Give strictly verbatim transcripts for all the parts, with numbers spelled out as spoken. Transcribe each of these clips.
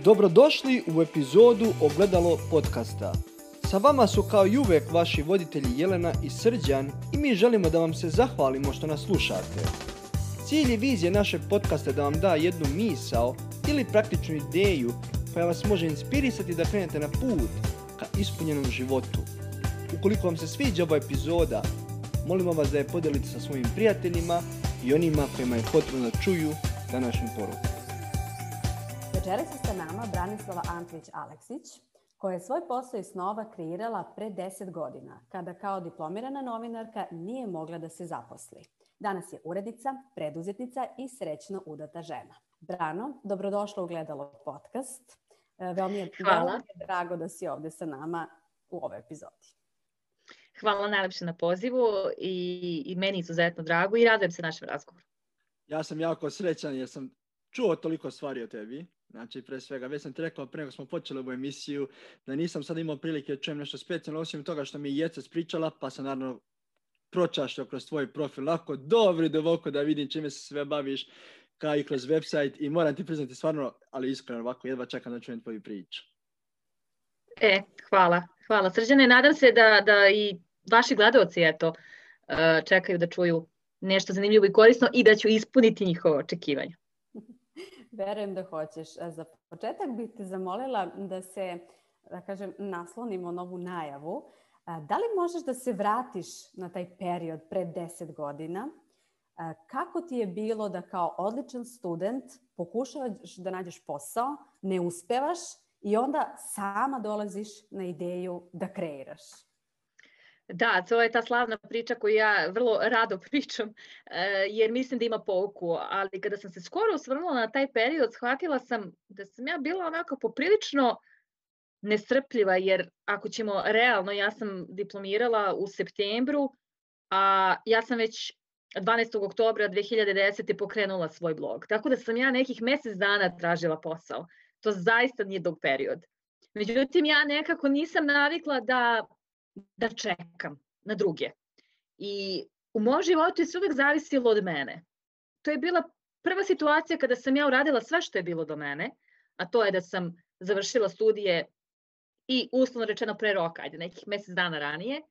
Dobrodošli u epizodu Ogledalo podcasta. Sa vama su kao i uvek vaši voditelji Jelena i Srđan i mi želimo da vam se zahvalimo što nas slušate. Cilj i vizija našeg podcasta je da vam da jednu misao ili praktičnu ideju koja vas može inspirisati da krenete na put ka ispunjenom životu. Ukoliko vam se sviđa ova epizoda, molimo vas da je podijelite sa svojim prijateljima i onima kojima je potrebno da čuju današnju poruku. Večeras je sa nama Branislava Antlić-Aleksić, koja je svoj posao iz snova kreirala pre deset godina, kada kao diplomirana novinarka nije mogla da se zaposli. Danas je urednica, preduzetnica i srećno udata žena. Brano, dobrodošla u Gledalo podcast. Veoma mi je, veoma mi je drago da si ovde sa nama u ovoj epizodi. Hvala najlepše na pozivu i, i meni izuzetno drago i radujem se našem razgovoru. Ja sam jako srećan jer sam čuo toliko stvari o tebi. Znači, pre svega, već sam ti rekao pre nego smo počeli ovu emisiju da nisam sad imao prilike da čujem nešto specijalno, osim toga što mi je Jeca spričala, pa sam naravno pročašljao kroz tvoj profil. Lako, dobri dovoko da vidim čime se sve baviš, kao i kroz website, i moram ti priznati stvarno, ali iskreno ovako, jedva čekam da čujem tvoju priču. E, hvala. Hvala, Srđane. Nadam se da, da i vaši gledaoci, eto, čekaju da čuju nešto zanimljivo i korisno i da ću ispuniti njihovo očekivanje. Verujem da hoćeš. Za početak bih te zamolila da se, da kažem, naslonimo na ovu najavu. Da li možeš da se vratiš na taj period pre deset godina? Kako ti je bilo da kao odličan student pokušavaš da nađeš posao, ne uspevaš i onda sama dolaziš na ideju da kreiraš? Da, to je ta slavna priča koju ja vrlo rado pričam, jer mislim da ima pouku, ali kada sam se skoro osvrnula na taj period, shvatila sam da sam ja bila onako poprilično nestrpljiva, jer ako ćemo realno, ja sam diplomirala u septembru, a ja sam već dvanaestog oktobra dve hiljade desete. pokrenula svoj blog, tako da sam ja nekih mjesec dana tražila posao. To zaista nije dug period. Međutim, ja nekako nisam navikla da da čekam na druge. I u mom životu je sve uvijek zavisilo od mene. To je bila prva situacija kada sam ja uradila sve što je bilo do mene, a to je da sam završila studije i uslovno rečeno pre roka, ajde nekih mjesec dana ranije,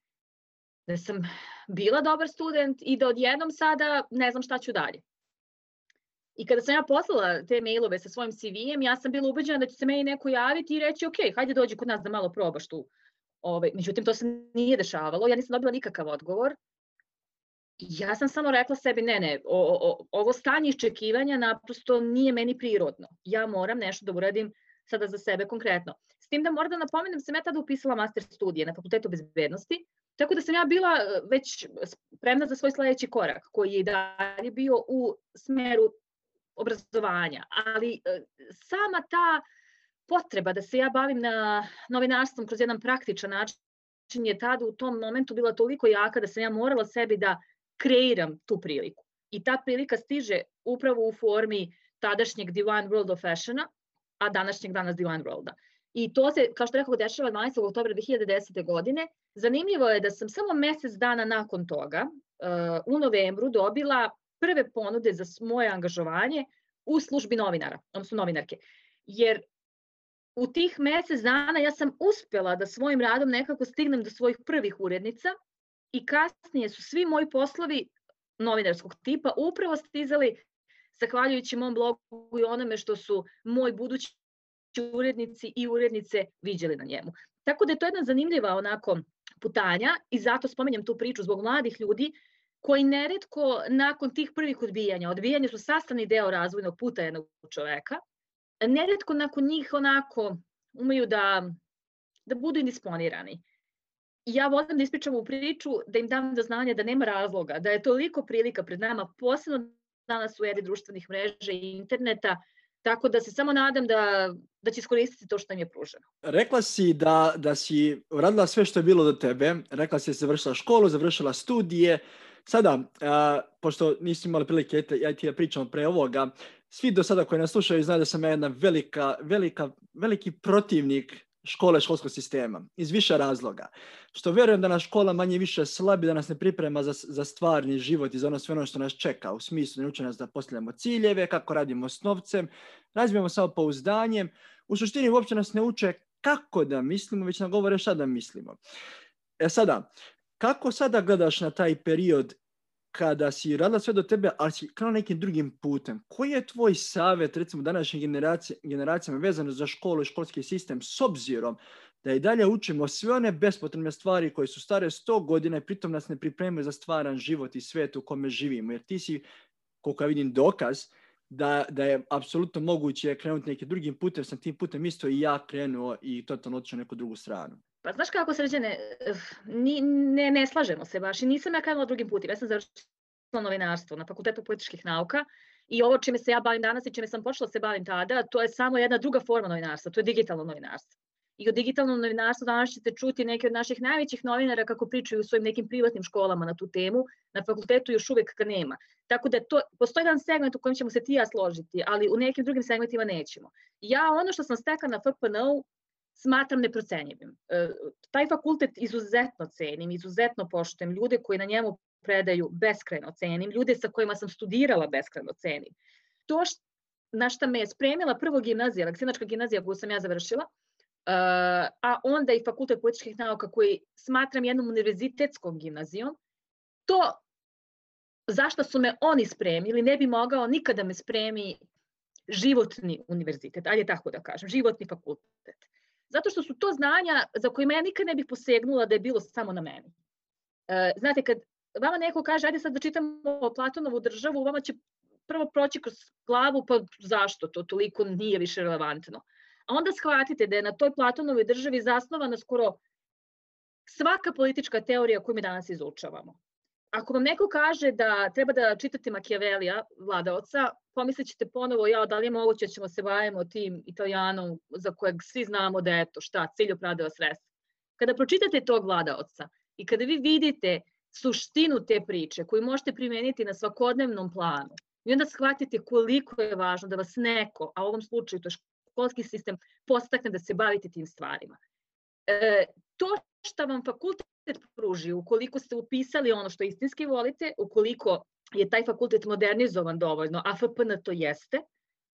da sam bila dobar student i da odjednom sada ne znam šta ću dalje. I kada sam ja poslala te mailove sa svojim C V-em, ja sam bila ubeđena da će se meni neko javiti i reći ok, hajde dođi kod nas da malo probaš tu. Ove, međutim, to se nije dešavalo, ja nisam dobila nikakav odgovor. Ja sam samo rekla sebi, ne, ne, o, o, ovo stanje iščekivanja naprosto nije meni prirodno. Ja moram nešto da uradim sada za sebe konkretno. S tim da moram da napomenem, sam ja tada upisala master studije na Fakultetu bezbednosti, tako da sam ja bila već spremna za svoj sledeći korak, koji je i dalje bio u smeru obrazovanja. Ali sama ta potreba da se ja bavim na novinarstvom kroz jedan praktičan način je tada u tom momentu bila toliko jaka da sam ja morala sebi da kreiram tu priliku. I ta prilika stiže upravo u formi tadašnjeg Divine World of Fashiona, a današnjeg danas Divine Worlda. I to se, kao što rekao, dešava dvanaestog oktobra dve hiljade desete. godine. Zanimljivo je da sam samo mjesec dana nakon toga, u novembru, dobila prve ponude za moje angažovanje u službi novinara, odnosno novinarke. Jer u tih mjesec dana ja sam uspjela da svojim radom nekako stignem do svojih prvih urednica i kasnije su svi moji poslovi novinarskog tipa upravo stizali zahvaljujući mom blogu i onome što su moji budući urednici i urednice viđeli na njemu. Tako da je to jedna zanimljiva onako putanja i zato spominjem tu priču zbog mladih ljudi koji neretko nakon tih prvih odbijanja, odbijanja su sastavni deo razvojnog puta jednog čoveka, neretko nakon njih onako umeju da, da budu indisponirani. Ja volim da ispričam u priču, da im dam do znanja da nema razloga, da je toliko prilika pred nama, posebno danas u eri društvenih mreža i interneta, tako da se samo nadam da, da će iskoristiti to što im je pruženo. Rekla si da, da si uradila sve što je bilo do tebe, rekla si da si završila školu, završila studije. Sada, a, pošto nisi imala prilike, ja ti ja pričam pre ovoga, svi do sada koji nas slušaju znaju da sam ja jedna velika, velika, veliki protivnik škole, školskog sistema, iz više razloga. Što vjerujem da nas škola manje više slabi, da nas ne priprema za, za stvarni život i za ono sve ono što nas čeka, u smislu ne uči nas da postavljamo ciljeve, kako radimo s novcem, razvijemo samopouzdanjem, u suštini uopće nas ne uče kako da mislimo, već nam govore šta da mislimo. E sada, kako sada gledaš na taj period kada si radila sve do tebe, ali si krenula nekim drugim putem? Koji je tvoj savjet, recimo, današnjim generacija, generacijama vezano za školu i školski sistem, s obzirom da i dalje učimo sve one bespotrebne stvari koje su stare sto godina i pritom nas ne pripremaju za stvaran život i svijet u kome živimo? Jer ti si, koliko ja vidim, dokaz da, da je apsolutno moguće krenuti nekim drugim putem. Sam tim putem isto i ja krenuo i totalno otišao neku drugu stranu. Pa znaš kako, Srđane, ni, ne, ne slažemo se baš i nisam ja krenula drugim putem. Ja sam završila novinarstvo na Fakultetu političkih nauka i ovo čime se ja bavim danas i čime sam počela se bavim tada, to je samo jedna druga forma novinarstva, to je digitalno novinarstvo. I o digitalnom novinarstvu danas ćete čuti neke od naših najvećih novinara kako pričaju u svojim nekim privatnim školama na tu temu. Na fakultetu još uvek ga nema. Tako da to, postoji jedan segment u kojem ćemo se ti i ja složiti, ali u nekim drugim segmentima nećemo. Ja ono što sam stekla na F P N U smatram neprocenjivim. E, taj fakultet izuzetno cenim, izuzetno poštujem, ljude koji na njemu predaju beskrajno cenim, ljude sa kojima sam studirala beskrajno cenim. To št, na šta me je spremila prvo gimnazija, Aleksinačka gimnazija koju sam ja završila, Uh, a onda i Fakultet političkih nauka koji smatram jednom univerzitetskom gimnazijom, to zašto su me oni spremili ne bi mogao nikada me spremi životni univerzitet, ajde tako da kažem, životni fakultet. Zato što su to znanja za kojima ja nikad ne bih posegnula da je bilo samo na meni. Uh, znate, kad vama neko kaže ajde sad da čitamo Platonovu državu, vama će prvo proći kroz glavu, pa zašto to toliko nije više relevantno. A onda shvatite da je na toj Platonovoj državi zasnovana skoro svaka politička teorija koju mi danas izučavamo. Ako vam neko kaže da treba da čitate Machiavellija, vladaoca, pomislit ćete ponovo, ja, da li je moguće da ćemo se bavimo tim Italijanom za kojeg svi znamo da je to šta, cilj opravdava sredstva. Kada pročitate tog vladaoca i kada vi vidite suštinu te priče koju možete primeniti na svakodnevnom planu, i onda shvatite koliko je važno da vas neko, a u ovom slučaju to je školski sistem, postakne da se bavite tim stvarima. E, to što vam fakultet pruži, ukoliko ste upisali ono što istinski volite, ukoliko je taj fakultet modernizovan dovoljno, a F P N to jeste,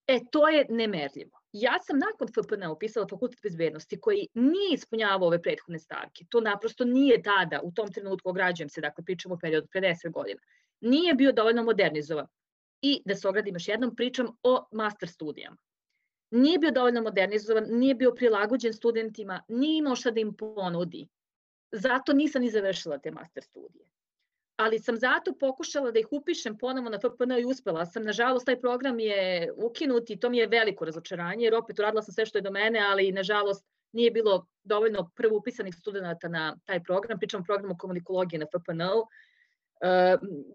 e, to je nemerljivo. Ja sam nakon F P N upisala fakultet bezbednosti koji nije ispunjavao ove prethodne stavke. To naprosto nije tada, u tom trenutku ograđujem se, dakle pričamo o periodu pre deset godina, nije bio dovoljno modernizovan. I da se ogradim još jednom, pričam o master studijama. Nije bio dovoljno modernizovan, nije bio prilagođen studentima, nije imao šta da im ponudi. Zato nisam ni završila te master studije. Ali sam zato pokušala da ih upišem ponovo na F P N i uspela sam. Nažalost, taj program je ukinut i to mi je veliko razočaranje, jer opet uradila sam sve što je do mene, ali nažalost nije bilo dovoljno prvo upisanih studenta na taj program. Pričam o programu komunikologije na F P N U.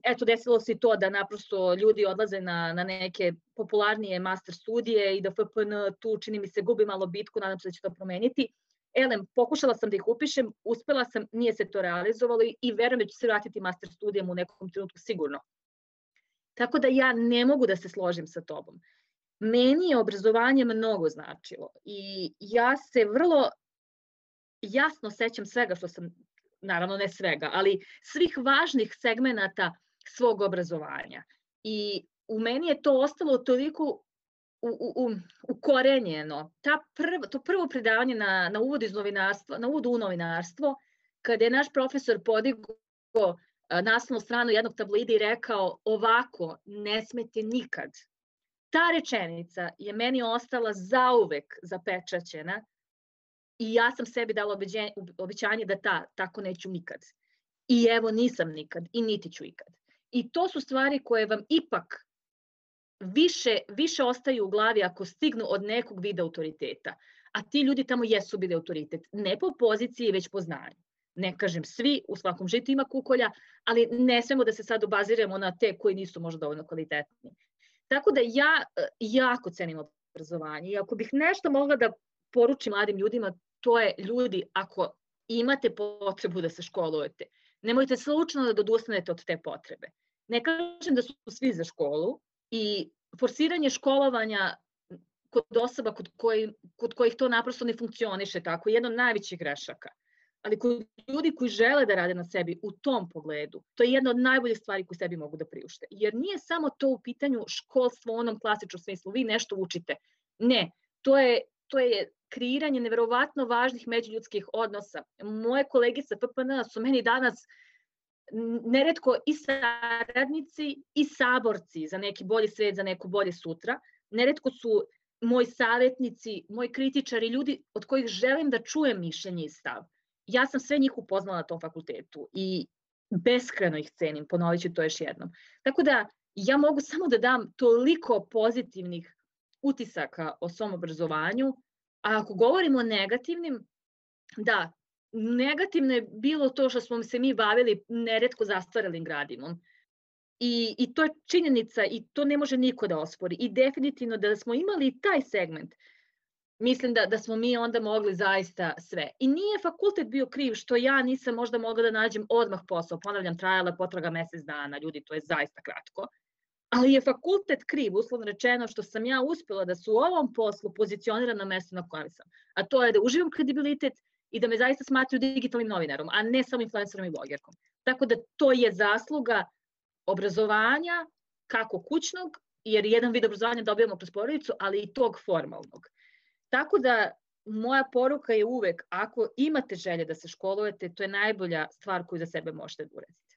Eto, desilo se i to da naprosto ljudi odlaze na, na neke popularnije master studije i da F P N tu, čini mi se, gubi malo bitku, nadam se da će to promeniti. Elem, pokušala sam da ih upišem, uspela sam, nije se to realizovalo i, i verujem da ću se vratiti master studijama u nekom trenutku sigurno. Tako da ja ne mogu da se složim sa tobom. Meni je obrazovanje mnogo značilo i ja se vrlo jasno sećam svega što sam, naravno ne svega, ali svih važnih segmenata svog obrazovanja. I u meni je to ostalo toliko u, u, ukorenjeno. Ta prv, to prvo predavanje na, na uvodu iz novinarstva, na uvodu u novinarstvo, kada je naš profesor podigao naslovnu stranu jednog tabloida i rekao ovako ne smete nikad. Ta rečenica je meni ostala zauvek zapečaćena i ja sam sebi dala obećanje da ta, tako neću nikad. I evo nisam nikad i niti ću ikad. I to su stvari koje vam ipak više, više ostaju u glavi ako stignu od nekog vida autoriteta. A ti ljudi tamo jesu bili autoritet. Ne po poziciji, već po znanju. Ne kažem svi, u svakom žitu ima kukolja, ali ne smemo da se sad obaziramo na te koji nisu možda dovoljno kvalitetni. Tako da ja jako cenim obrazovanje i ako bih nešto mogla da poručim mladim ljudima, to je ljudi, ako imate potrebu da se školujete, nemojte slučajno da odustanete od te potrebe. Ne kažem da su svi za školu i forsiranje školovanja kod osoba kod, koji, kod kojih to naprosto ne funkcioniše tako, je jedna od najvećih grešaka. Ali kod ljudi koji žele da rade na sebi u tom pogledu, to je jedna od najboljih stvari koje sebi mogu da priušte. Jer nije samo to u pitanju školstvo u onom klasičnom smislu, vi nešto učite. Ne, to je to je kreiranje neverovatno važnih međuljudskih odnosa. Moje kolege sa P P N su meni danas neretko i saradnici i saborci za neki bolji svet, za neko bolje sutra. Neretko su moji savjetnici, moji kritičari, ljudi od kojih želim da čujem mišljenje i stav. Ja sam sve njih upoznala na tom fakultetu i beskrajno ih cenim, ponovit ću to još jednom. Tako da ja mogu samo da dam toliko pozitivnih utisaka o svom obrazovanju, a ako govorimo o negativnim, da, negativno je bilo to što smo se mi bavili neretko zastaralim gradimom. I, I to je činjenica i to ne može niko da ospori. I definitivno da smo imali taj segment, mislim da, da smo mi onda mogli zaista sve. I nije fakultet bio kriv što ja nisam možda mogla da nađem odmah posao. Ponavljam, trajala potraga mesec dana, ljudi, to je zaista kratko. Ali je fakultet kriv, uslovno rečeno, što sam ja uspela da se u ovom poslu pozicioniram na mesto na kojem sam. A to je da uživam kredibilitet i da me zaista smatruju digitalnim novinarom, a ne samo influencerom i blogerkom. Tako da to je zasluga obrazovanja, kako kućnog, jer jedan vid obrazovanja dobijamo kroz porodicu, ali i tog formalnog. Tako da moja poruka je uvek, ako imate želje da se školujete, to je najbolja stvar koju za sebe možete da uradite.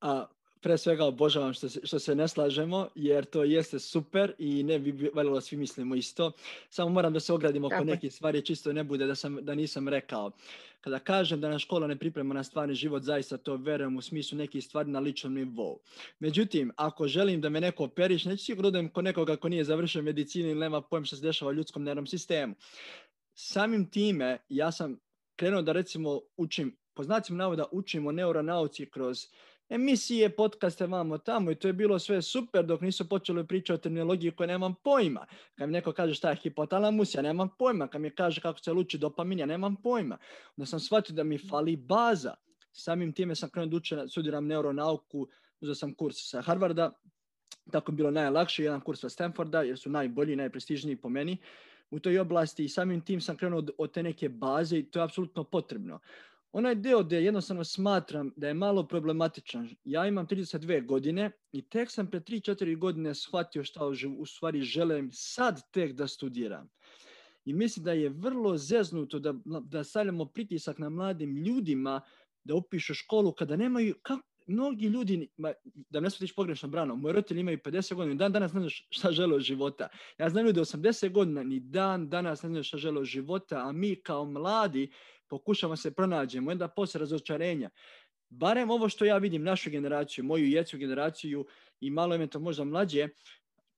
A pre svega obožavam što se, što se ne slažemo, jer to jeste super i ne bi valjalo svi mislimo isto. Samo moram da se ogradim oko nekih stvari, čisto ne bude da, sam, da nisam rekao. Kada kažem da nas škola ne priprema na stvarni život, zaista to verujem u smislu nekih stvari na ličnom nivou. Međutim, ako želim da me neko operiš, neću sigurno da kod nekoga ko nije završio medicinu ili nema pojem što se dešava u ljudskom nervnom sistemu. Samim time, ja sam krenuo da recimo učim, po znacima navoda učim o neuronauci kroz emisije, podcaste, vamo tamo i to je bilo sve super dok nisu počeli pričati o terminologiji koje nemam pojma. Kad mi neko kaže šta je hipotalamus, ja nemam pojma. Kad mi kaže kako se luči dopamin, ja nemam pojma. Onda sam shvatio da mi fali baza. Samim time sam krenuo da učim, studiram neuronauku, uzeo sam kurs sa Harvarda, tako je bilo najlakše, jedan kurs sa Stanforda, jer su najbolji, najprestižniji po meni u toj oblasti i samim tim sam krenuo od, od te neke baze i to je apsolutno potrebno. Onaj deo gdje jednostavno smatram da je malo problematičan. Ja imam trideset dve godine i tek sam pre tri četiri godine shvatio šta u stvari želim sad tek da studiram. I mislim da je vrlo zeznuto da, da stavljamo pritisak na mladim ljudima da upišu školu kada nemaju, kako, mnogi ljudi, da ne shvatiš pogrešno Brano, moji roditelji imaju pedeset godina, dan danas ne znaš šta žele od života. Ja znam ljudi osamdeset godina, ni dan danas ne znaš šta žele od života, a mi kao mladi pokušamo se pronađemo, onda posle razočarenja. Barem ovo što ja vidim, našu generaciju, moju djecu generaciju i malo eventualno možda mlađe,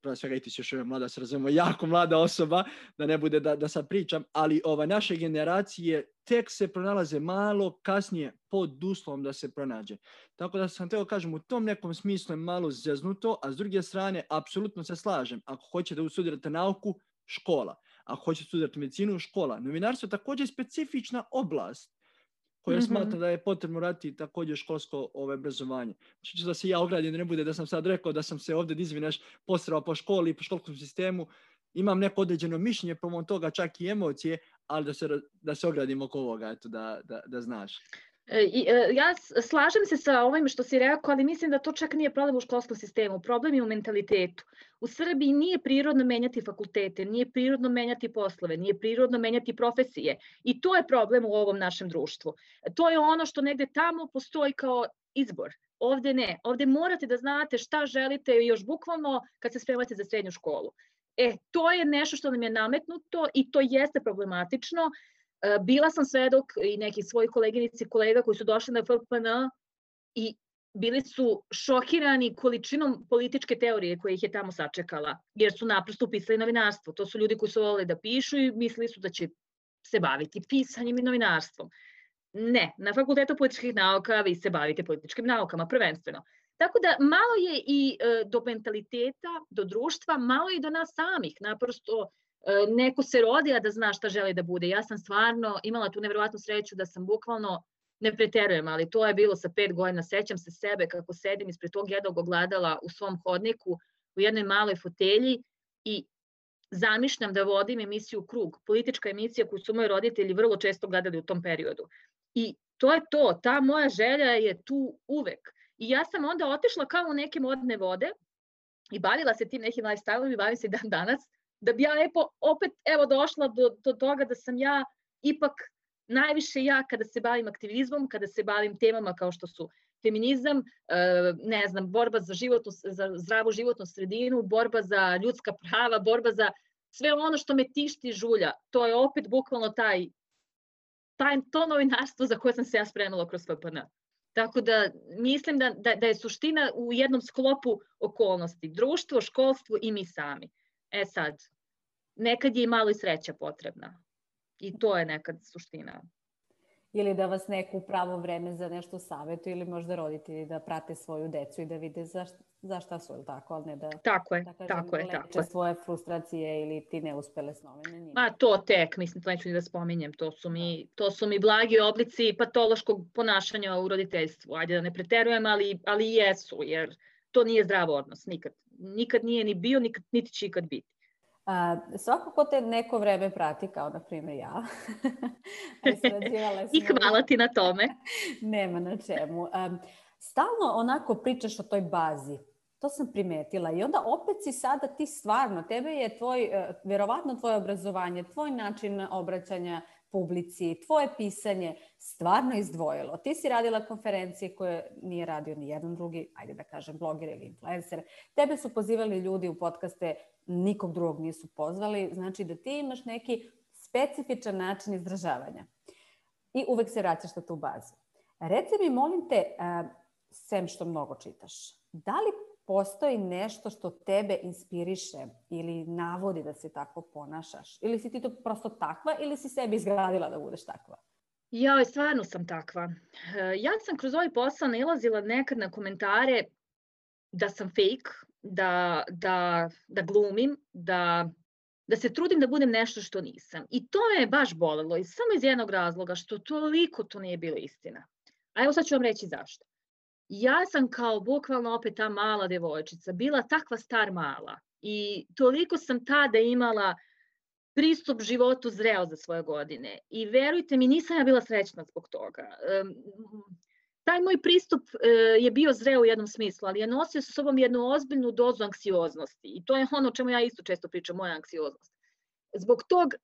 prvo svega i ti si još uvijek mlada, se razumemo, jako mlada osoba, da ne bude da, da sad pričam, ali ova, naše generacije tek se pronalaze malo kasnije pod uslovom da se pronađe. Tako da sam teo kažem, u tom nekom smislu je malo zeznuto, a s druge strane, apsolutno se slažem. Ako hoćete da studirate nauku, škola. Ako hoćete studirati medicinu, škola. Novinarstvo je također specifična oblast koja mm-hmm. smatra da je potrebno raditi također školsko ove obrazovanje. Znači da se ja ogradim, da ne bude da sam sad rekao da sam se ovdje izvineš posrao po školi i po školskom sistemu. Imam neko određeno mišljenje, pomom toga čak i emocije, ali da se, da se ogradim oko ovoga, eto, da, da, da znaš. Ja slažem se sa ovim što si rekao, ali mislim da to čak nije problem u školskom sistemu. Problem je u mentalitetu. U Srbiji nije prirodno menjati fakultete, nije prirodno menjati poslove, nije prirodno menjati profesije. I to je problem u ovom našem društvu. To je ono što negde tamo postoji kao izbor. Ovde ne. Ovde morate da znate šta želite još bukvalno kad se spremate za srednju školu. E, to je nešto što nam je nametnuto i to jeste problematično. Bila sam svedok i nekih svojih koleginici i kolega koji su došli na F P N i bili su šokirani količinom političke teorije koje ih je tamo sačekala, jer su naprosto upisali novinarstvo. To su ljudi koji su voleli da pišu i mislili su da će se baviti pisanjem i novinarstvom. Ne, na Fakultetu političkih nauka vi se bavite političkim naukama prvenstveno. Tako da malo je i do mentaliteta, do društva, malo i do nas samih, naprosto neko se rodi, a da zna šta želi da bude. Ja sam stvarno imala tu nevjerovatnu sreću da sam bukvalno, ne preterujem, ali to je bilo sa pet godina. Sećam se sebe kako sedim ispred tog jednog ogledala u svom hodniku u jednoj maloj fotelji i zamišljam da vodim emisiju Krug, politička emisija koju su moji roditelji vrlo često gledali u tom periodu. I to je to, ta moja želja je tu uvek. I ja sam onda otišla kao u neke modne vode i bavila se tim nekim lifestyle-om i bavim se dan danas. da bi ja lepo opet evo došla do, do toga da sam ja ipak najviše ja kada se bavim aktivizmom, kada se bavim temama kao što su feminizam, ne znam, borba za, životnu, za zdravu životnu sredinu, borba za ljudska prava, borba za sve ono što me tišti žulja. To je opet bukvalno taj, taj to novinarstvo za koje sam se ja spremila kroz F P N. Tako da mislim da, da, da je suština u jednom sklopu okolnosti. Društvo, školstvo i mi sami. E sad, nekad je i malo i sreća potrebna. I to je nekad suština. Ili da vas neko u pravo vreme za nešto savjetuje ili možda roditelji da prate svoju decu i da vide za, za šta su, ili tako, ali ne da, tako je, da kažem, tako je, leče tako je. svoje frustracije ili ti neuspele snove na njima. Ma to tek, mislim, to neću ni da spominjem, to su mi, to su mi blagi oblici patološkog ponašanja u roditeljstvu. Ajde da ne preterujem, ali, ali jesu, jer to nije zdrav odnos, nikad. Nikad nije ni bio, nikad, niti će ikad biti. A, svako ko te neko vreme prati, kao na primjer ja. I hvala ti na tome. Nema na čemu. Um, stalno onako pričaš o toj bazi. To sam primetila. I onda opet si sada ti stvarno, tebe je tvoj, vjerovatno tvoje obrazovanje, tvoj način obraćanja publici, tvoje pisanje stvarno izdvojilo. Ti si radila konferencije koje nije radio ni jedan drugi, ajde da kažem, bloger ili influencer. Tebe su pozivali ljudi u podcaste, nikog drugog nisu pozvali. Znači da ti imaš neki specifičan način izražavanja. I uvek se vraćaš na tu bazu. Reci mi, molim te, sem što mnogo čitaš, da li postoji nešto što tebe inspiriše ili navodi da se tako ponašaš? Ili si ti to prosto takva ili si sebi izgradila da budeš takva? Ja, stvarno sam takva. Ja sam kroz ovaj posao nailazila nekad na komentare da sam fake, da, da, da glumim, da, da se trudim da budem nešto što nisam. I to me je baš bolelo, i samo iz jednog razloga, što toliko to nije bilo istina. A evo sad ću vam reći zašto. Ja sam kao bukvalno opet ta mala devojčica, bila takva star mala i toliko sam tada imala pristup životu zreo za svoje godine. I verujte mi, nisam ja bila srećna zbog toga. Taj moj pristup je bio zreo u jednom smislu, ali je nosio sa sobom jednu ozbiljnu dozu anksioznosti. I to je ono o čemu ja isto često pričam, moja anksioznost. Zbog tog,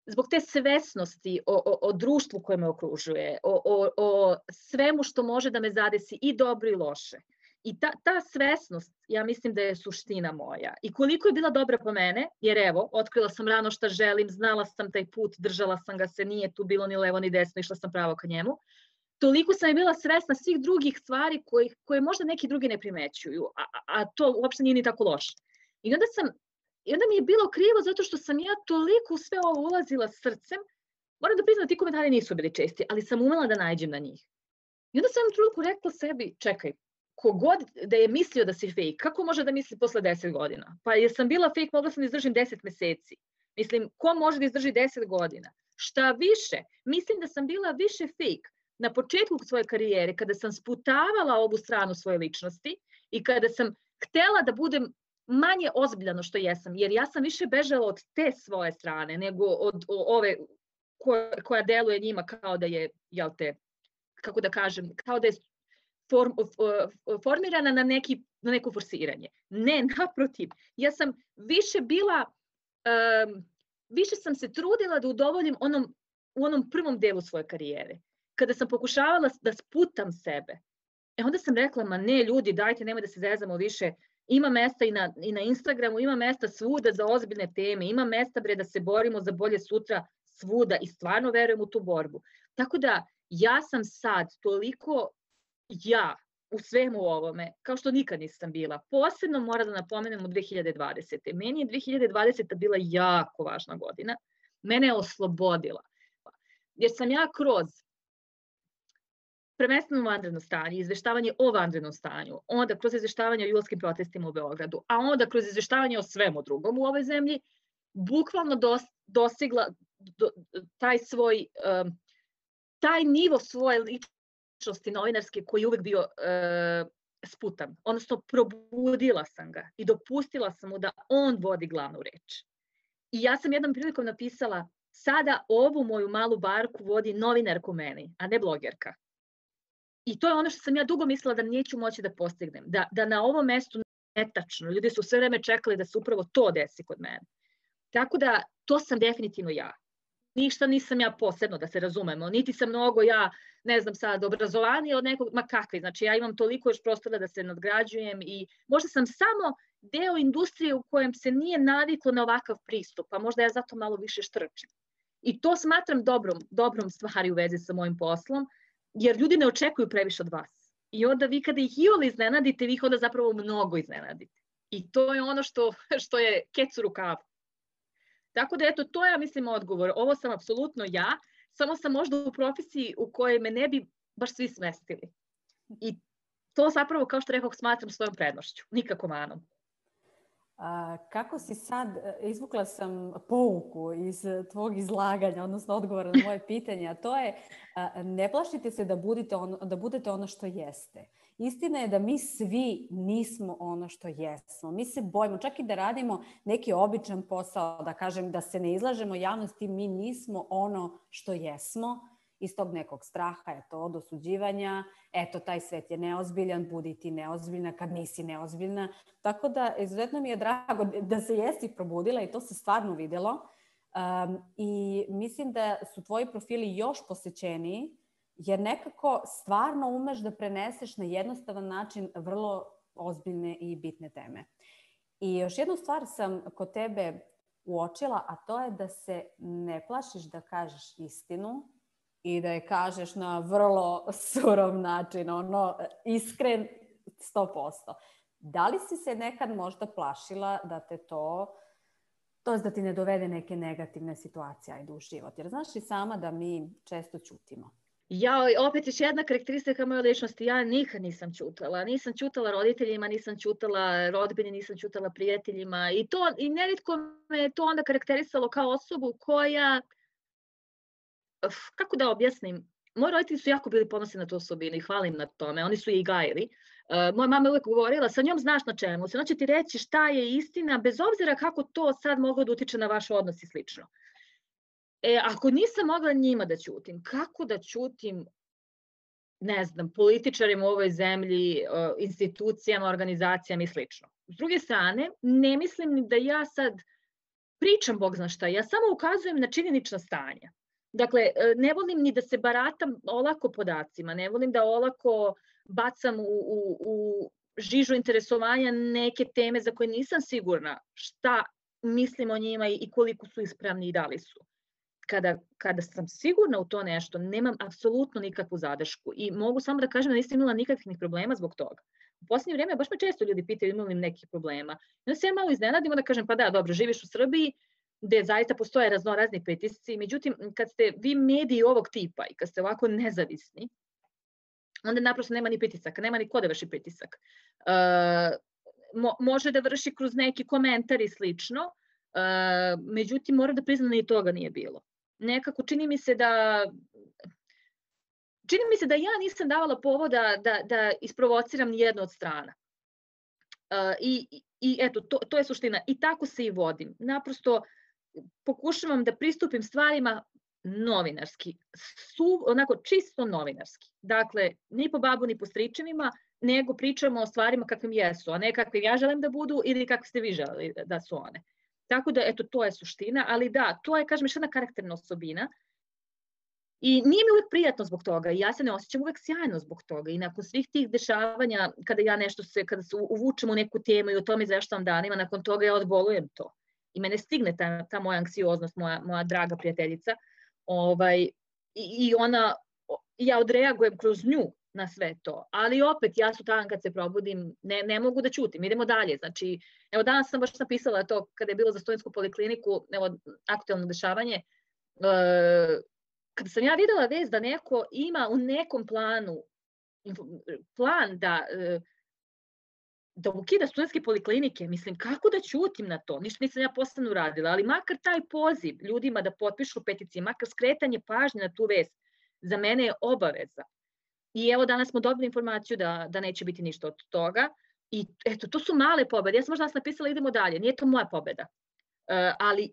zbog te svesnosti o, o, o društvu koje me okružuje, o, o, o svemu što može da me zadesi i dobro i loše. I ta, ta svesnost, ja mislim da je suština moja. I koliko je bila dobra po mene, jer evo, otkrila sam rano šta želim, znala sam taj put, držala sam ga se, nije tu bilo ni levo ni desno, išla sam pravo ka njemu. Toliko sam je bila svesna svih drugih stvari koje, koje možda neki drugi ne primećuju, a, a to uopšte nije ni tako loše. I onda, sam, I onda mi je bilo krivo zato što sam ja toliko u sve ovo ulazila srcem. Moram da priznam da ti komentari nisu bili česti, ali sam umela da nađem na njih. I onda sam trenutku rekla sebi, čekaj, kogod da je mislio da si fake, kako može da misli posle deset godina? Pa jer sam bila fake, mogla sam da izdržim deset meseci. Mislim, ko može da izdrži deset godina? Šta više, mislim da sam bila više fake na početku svoje karijere, kada sam sputavala ovu stranu svoje ličnosti i kada sam htela da budem manje ozbiljno što jesam, jer ja sam više bežala od te svoje strane nego od ove koja, koja deluje njima kao da je, jel te, kako da kažem, kao da je form, formirana na, neki, na neko forsiranje. Ne, naprotiv, ja sam više bila, um, više sam se trudila da udovoljim onom, u onom prvom delu svoje karijere. Kada sam pokušavala da sputam sebe, e onda sam rekla, ma ne ljudi, dajte, nemoj da se zezamo više, ima mesta i na, i na Instagramu, ima mesta svuda za ozbiljne teme, ima mesta bre da se borimo za bolje sutra svuda i stvarno verujem u tu borbu. Tako da ja sam sad toliko ja u svemu ovome, kao što nikad nisam bila. Posebno moram da napomenem u dve hiljade dvadesete. Meni je dve hiljade dvadeseta bila jako važna godina. Mene je oslobodila. Jer sam ja kroz prvenstveno vanredno stanje, izveštavanje o vanrednom stanju, onda kroz izveštavanje o julskim protestima u Beogradu, a onda kroz izveštavanje o svemu drugom u ovoj zemlji, bukvalno dos, dostigla do, taj svoj, um, taj nivo svoje ličnosti novinarske koji je uvek bio uh, sputan. Odnosno, probudila sam ga i dopustila sam mu da on vodi glavnu reč. I ja sam jednom prilikom napisala, sada ovu moju malu barku vodi novinar ko meni, a ne blogerka. I to je ono što sam ja dugo mislila da neću moći da postignem. Da, da na ovom mestu netačno. Ljudi su sve vreme čekali da se upravo to desi kod mene. Tako da to sam definitivno ja. Ništa nisam ja posebno, da se razumemo, niti sam mnogo ja, ne znam sad, obrazovanija od nekog, ma kakvi, znači ja imam toliko još prostora da se nadgrađujem i možda sam samo deo industrije u kojem se nije naviklo na ovakav pristup, pa možda ja zato malo više štrčim. I to smatram dobrom, dobrom stvari u vezi sa mojim poslom, jer ljudi ne očekuju previše od vas. I onda vi kada ih iole iznenadite, vi ih onda zapravo mnogo iznenadite. I to je ono što, što je kec u rukavu. Tako da eto, to je, ja mislim, odgovor. Ovo sam apsolutno ja, samo sam možda u profesiji u kojoj me ne bi baš svi smestili. I to zapravo, kao što rekao, smatram svojom prednošću, nikako manom. A, kako si sad, izvukla sam pouku iz tvog izlaganja, odnosno odgovora na moje pitanje, a to je a, ne plašite se da budete, ono, da budete ono što jeste. Istina je da mi svi nismo ono što jesmo. Mi se bojimo, čak i da radimo neki običan posao, da kažem da se ne izlažemo javnosti, mi nismo ono što jesmo. Iz tog nekog straha, eto, od osuđivanja, eto, taj svet je neozbiljan, budi ti neozbiljna kad nisi neozbiljna. Tako da, izuzetno mi je drago da se jesi probudila i to se stvarno vidjelo. Um, I mislim da su tvoji profili još posjećeniji, jer nekako stvarno umeš da preneseš na jednostavan način vrlo ozbiljne i bitne teme. I još jednu stvar sam kod tebe uočila, a to je da se ne plašiš da kažeš istinu, i da je kažeš na vrlo surov način, ono, iskren sto posto. Da li si se nekad možda plašila da te to, to je da ti ne dovede neke negativne situacije ajde u život? Jer znaš i sama da mi često ćutimo. Ja, opet još jedna karakteristika moje ličnosti, ja nikad nisam ćutala. Nisam ćutala roditeljima, nisam ćutala rodbini, nisam ćutala prijateljima. I, to, i nerijetko me je to onda karakterisalo kao osobu koja, kako da objasnim, moji roditelji su jako bili ponosni na tu osobinu i hvalim na tome, oni su je i gajili. Uh, moja mama je uvijek govorila, sa njom znaš na čemu, ona će ti reći šta je istina, bez obzira kako to sad moglo da utiče na vaš odnos i slično. E, ako nisam mogla njima da ćutim, kako da ćutim, ne znam, političarima u ovoj zemlji, uh, institucijama, organizacijama i slično. S druge strane, ne mislim ni da ja sad pričam Bog zna šta, ja samo ukazujem na činjenična stanja. Dakle, ne volim ni da se baratam olako podacima, ne volim da olako bacam u, u, u žižu interesovanja neke teme za koje nisam sigurna šta mislim o njima i koliko su ispravni i da li su. Kada, kada sam sigurna u to nešto, nemam apsolutno nikakvu zadršku i mogu samo da kažem da nisam imala nikakvih problema zbog toga. U posljednje vrijeme baš me često ljudi pitaju imali li nekih problema. I onda se ja malo iznenadim da kažem pa da, dobro, živiš u Srbiji, gde zaista postoje raznorazni pritisci. Međutim, kad ste vi mediji ovog tipa i kad ste ovako nezavisni, onda naprosto nema ni pritisaka, nema ni ko da vrši pritisak. Uh, mo, može da vrši kroz neki komentar i slično, uh, međutim, moram da priznam da ni toga nije bilo. Nekako čini mi se da... Čini mi se da ja nisam davala povoda da, da isprovociram ni jednu od strana. Uh, i, I eto, to, to je suština. I tako se i vodim. Naprosto pokušavam da pristupim stvarima novinarski, su, onako čisto novinarski. Dakle, ni po babu, ni po stričevima, nego pričamo o stvarima kakvim jesu, a ne kakvim ja želim da budu ili kakvi ste vi želeli da su one. Tako da, eto, to je suština, ali da, to je, kažem, još jedna karakterna osobina i nije mi uvek prijatno zbog toga i ja se ne osjećam uvek sjajno zbog toga i nakon svih tih dešavanja, kada ja nešto se, kada se uvučem u neku temu i o tome izveštavam danima, nakon toga ja odbolujem to. I mene stigne ta, ta moja anksioznost, moja, moja draga prijateljica, ovaj, i, i ona, ja odreagujem kroz nju na sve to, ali opet ja sutradan kad se probudim ne, ne mogu da ćutim, idemo dalje, znači, evo danas sam baš napisala to kada je bilo za studentsku polikliniku, evo aktuelno dešavanje, e, kada sam ja videla vest da neko ima u nekom planu, plan da e, da ukida studentske poliklinike, mislim, kako da ćutim na to? Ništa nisam ja posebno uradila, ali makar taj poziv ljudima da potpišu peticije, makar skretanje pažnje na tu vest, za mene je obaveza. I evo danas smo dobili informaciju da, da neće biti ništa od toga. I eto, to su male pobede. Ja sam možda nas napisala idemo dalje, nije to moja pobeda. Uh, ali,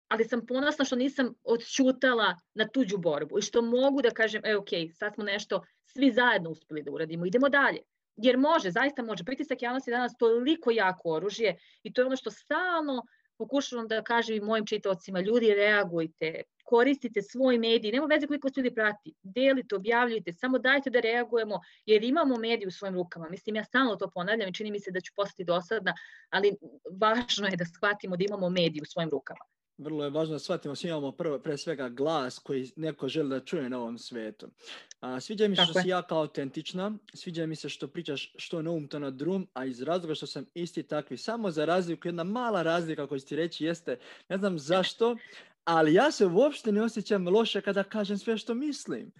ali sam ponosna što nisam odćutala na tuđu borbu i što mogu da kažem, e, ok, sad smo nešto svi zajedno uspeli da uradimo, idemo dalje. Jer može, zaista može. Pritisak javnosti je danas toliko jako oružje i to je ono što stalno pokušavam da kažem i mojim čitaocima, ljudi reagujte, koristite svoj medij, nema veze koliko se ljudi prati, delite, objavljujte, samo dajte da reagujemo, jer imamo medij u svojim rukama. Mislim, ja stalno to ponavljam i čini mi se da ću postati dosadna, ali važno je da shvatimo da imamo medij u svojim rukama. Vrlo je važno da shvatimo, svi imamo prvo, pre svega glas koji neko želi da čuje na ovom svetu. A, sviđa mi se što si jako autentična, sviđa mi se što pričaš što na um, to na drum, a iz razloga što sam isti takvi. Samo za razliku, jedna mala razlika koju ti reći jeste, ne znam zašto, ali ja se uopšte ne osjećam loše kada kažem sve što mislim.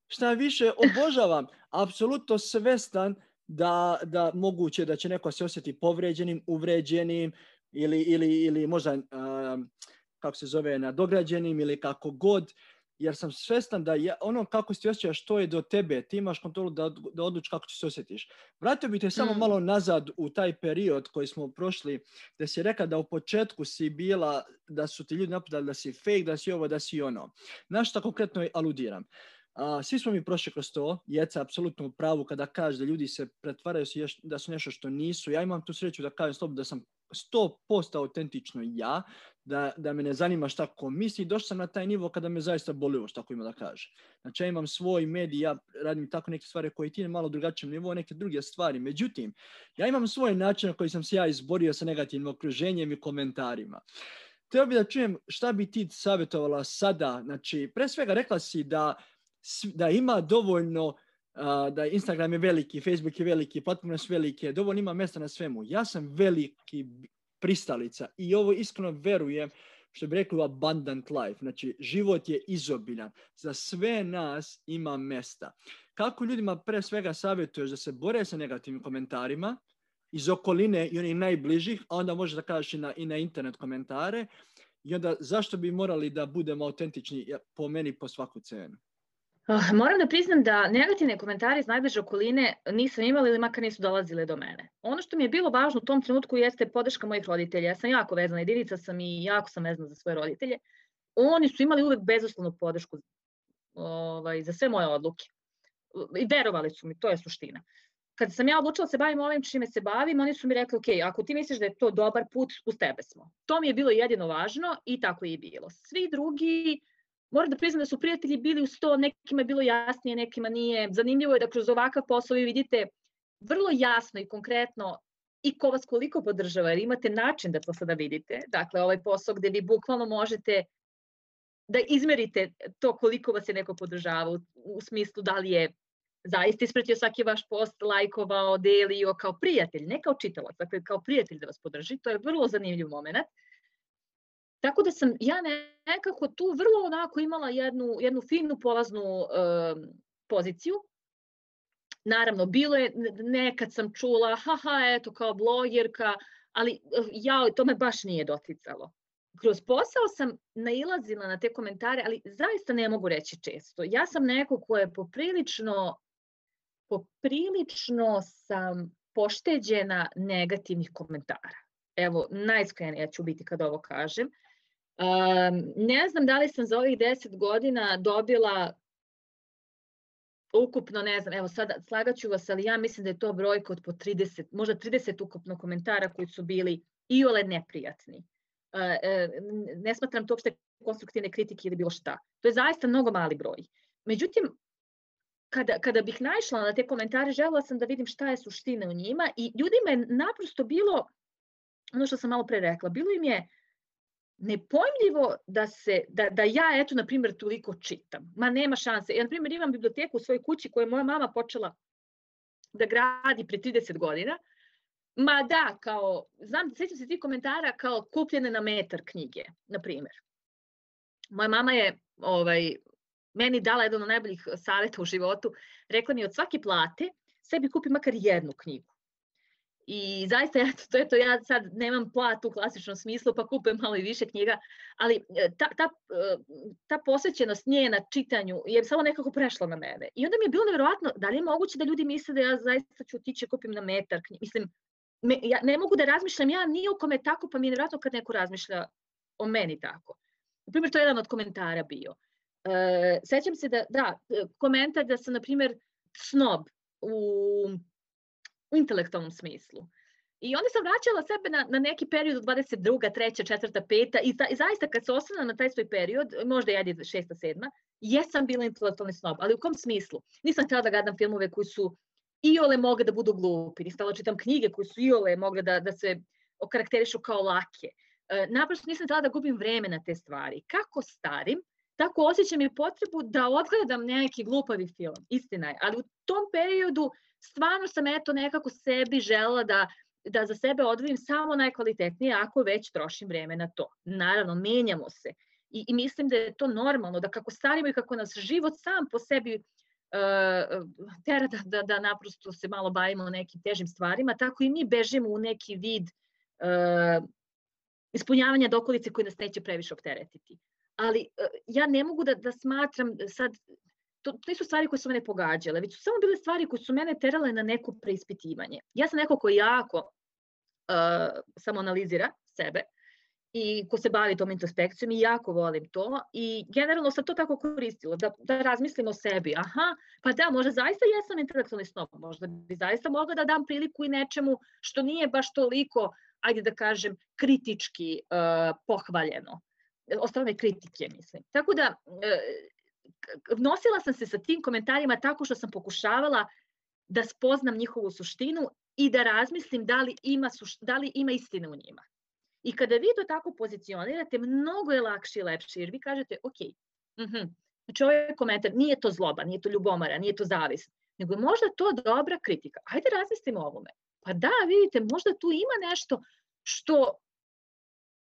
Šta više, obožavam, apsolutno svestan da, da moguće da će neko se osjeti povređenim, uvređenim ili, ili, ili možda, um, kako se zove, nadograđenim ili kako god, jer sam svestan da ja, ono kako se ti osjećaš, to je do tebe, ti imaš kontrolu da, da odlučiš kako će se osjetiš. Vratio bih te samo mm. malo nazad u taj period koji smo prošli, da si rekla da u početku si bila, da su ti ljudi napadali da si fake, da si ovo, da si ono. Na što konkretno aludiram? A, svi smo mi prošli kroz to, Jeca apsolutno u pravu kada kaže da ljudi se pretvaraju da su nešto što nisu. Ja imam tu sreću da kažem slobodno da sam sto posto autentično ja, da, da me ne zanima šta ko misli. Došao sam na taj nivo kada me zaista boli ovo šta ko ima da kaže. Znači ja imam svoj medij, ja radim tako neke stvari koje ti na malo drugačijem nivou, neke druge stvari. Međutim, ja imam svoj način na koji sam se ja izborio sa negativnim okruženjem i komentarima. Htio bih da čujem šta bi ti savjetovala sada. Znači, pre svega rekla si da da ima dovoljno, uh, da Instagram je veliki, Facebook je veliki, platforme su velike, dovoljno ima mjesta na svemu. Ja sam veliki pristalica i ovo iskreno verujem, što bi rekli, abundant life. Znači, život je izobiljan. Za sve nas ima mjesta. Kako ljudima pre svega savjetuješ da se bore sa negativnim komentarima iz okoline i onih najbližih, a onda možeš da kažeš i na, i na internet komentare, i onda zašto bi morali da budemo autentični po meni po svaku cenu? Moram da priznam da negativne komentare iz najbliže okoline nisam imala ili makar nisu dolazile do mene. Ono što mi je bilo važno u tom trenutku jeste podrška mojih roditelja. Ja sam jako vezana, jedinica sam i jako sam vezana za svoje roditelje. Oni su imali uvek bezuslovnu podršku ovaj, za sve moje odluke. I verovali su mi, to je suština. Kad sam ja odlučila da se bavim ovim čime se bavim, oni su mi rekli, ok, ako ti misliš da je to dobar put, uz tebe smo. To mi je bilo jedino važno i tako je i bilo. Svi drugi, moram da priznam da su prijatelji bili uz to, nekima je bilo jasnije, nekima nije. Zanimljivo je da kroz ovakav posao vi vidite vrlo jasno i konkretno i ko vas koliko podržava, jer imate način da to sada vidite. Dakle, ovaj posao gde vi bukvalno možete da izmerite to koliko vas je neko podržavao u, u smislu da li je zaista ispratio svaki vaš post, lajkovao, delio kao prijatelj, ne kao čitalac, dakle kao prijatelj da vas podrži. To je vrlo zanimljiv moment. Tako da sam ja nekako tu vrlo onako imala jednu, jednu finu polaznu um, poziciju. Naravno, bilo je, nekad sam čula, haha, eto, kao blogerka, ali ja, to me baš nije doticalo. Kroz posao sam nailazila na te komentare, ali zaista ne mogu reći često. Ja sam neko ko je poprilično, poprilično sam pošteđena negativnih komentara. Evo, najiskrenija ću biti kad ovo kažem. Um, ne znam da li sam za ovih deset godina dobila ukupno, ne znam, evo sada slagaću vas, ali ja mislim da je to brojka od po trideset, možda trideset ukupno komentara koji su bili iole neprijatni. Uh, uh, ne smatram to uopšte konstruktivne kritike ili bilo šta. To je zaista mnogo mali broj. Međutim, kada, kada bih naišla na te komentare, želela sam da vidim šta je suština u njima i ljudima je naprosto bilo, ono što sam malo pre rekla, bilo im je nepojmljivo da, se, da, da ja, eto, na primjer, toliko čitam. Ma nema šanse. Ja, na primjer, imam biblioteku u svojoj kući koju je moja mama počela da gradi pre trideset godina. Ma da, kao, znam, sjećam se tih komentara kao kupljene na metar knjige, na primjer. Moja mama je ovaj, meni dala jedan od najboljih savjeta u životu. Rekla mi od svake plate sebi kupi makar jednu knjigu. I zaista, ja, to je to, ja sad nemam platu u klasičnom smislu, pa kupujem malo i više knjiga, ali ta, ta, ta posvećenost nje na čitanju je samo nekako prešla na mene. I onda mi je bilo nevjerovatno, da li je moguće da ljudi misle da ja zaista ću otići i kupim na metar knjiga. Mislim, me, ja ne mogu da razmišljam ja ni o kome tako, pa mi je nevjerovatno kad neko razmišlja o meni tako. Na primjer, to je jedan od komentara bio. E, sećam se da, da, komentar da sam, na primjer, snob u u intelektualnom smislu. I onda sam vraćala sebe na, na neki period od dvadeset druga, treća, četvrta, peta i, ta, i zaista kad se osvrnem na taj svoj period, možda ja je šesta, sedma, jesam bila intelektualni snob, ali u kom smislu? Nisam htjela da gledam filmove koji su iole mogle da budu glupi, nisam htjela da čitam knjige koje su iole mogle da, da se okarakterišu kao lake. E, naprosto nisam htjela da gubim vreme na te stvari. Kako starim, tako osjećam i potrebu da odgledam neki glupavi film, istina je, ali u tom periodu stvarno sam eto nekako sebi želela da da za sebe odvojim samo najkvalitetnije ako već trošim vreme na to. Naravno, menjamo se i, i mislim da je to normalno, da kako starimo i kako nas život sam po sebi uh, tera da, da, da naprosto se malo bavimo nekim težim stvarima, tako i mi bežimo u neki vid uh, ispunjavanja dokolice koje nas neće previše opteretiti. Ali uh, ja ne mogu da, da smatram sad, to, to nisu stvari koje su mene pogađale, već su samo bile stvari koje su mene terale na neko preispitivanje. Ja sam neko ko jako uh, samoanalizira sebe i ko se bavi tom introspekcijom i jako volim to i generalno sam to tako koristila, da, da razmislim o sebi. Aha, pa da, možda zaista jesam intelektualni snob, možda bi zaista mogla da dam priliku i nečemu što nije baš toliko, ajde da kažem, kritički uh, pohvaljeno. Od strane kritike, mislim. Tako da, uh, nosila sam se sa tim komentarima tako što sam pokušavala da spoznam njihovu suštinu i da razmislim da li ima, suš, da li ima istine u njima. I kada vi to tako pozicionirate, mnogo je lakše i lepše, jer vi kažete, ok, uh-huh, znači ovaj komentar, nije to zloba, nije to ljubomara, nije to zavist, nego je možda to dobra kritika. Hajde razmislimo o ovome. Pa da, vidite, možda tu ima nešto što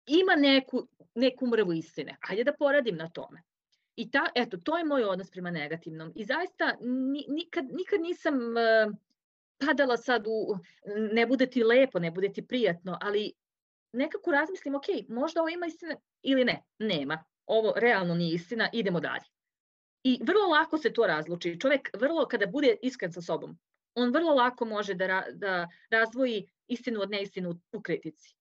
ima neku, neku mrvu istine. Hajde da poradim na tome. I ta, eto, to je moj odnos prema negativnom. I zaista nikad, nikad nisam uh, padala sad u, ne bude ti lepo, ne bude ti prijatno, ali nekako razmislim, ok, možda ovo ima istina ili ne, nema. Ovo realno nije istina, idemo dalje. I vrlo lako se to razluči. Čovjek vrlo, kada bude iskren sa sobom, on vrlo lako može da, ra, da razdvoji istinu od neistinu u kritici.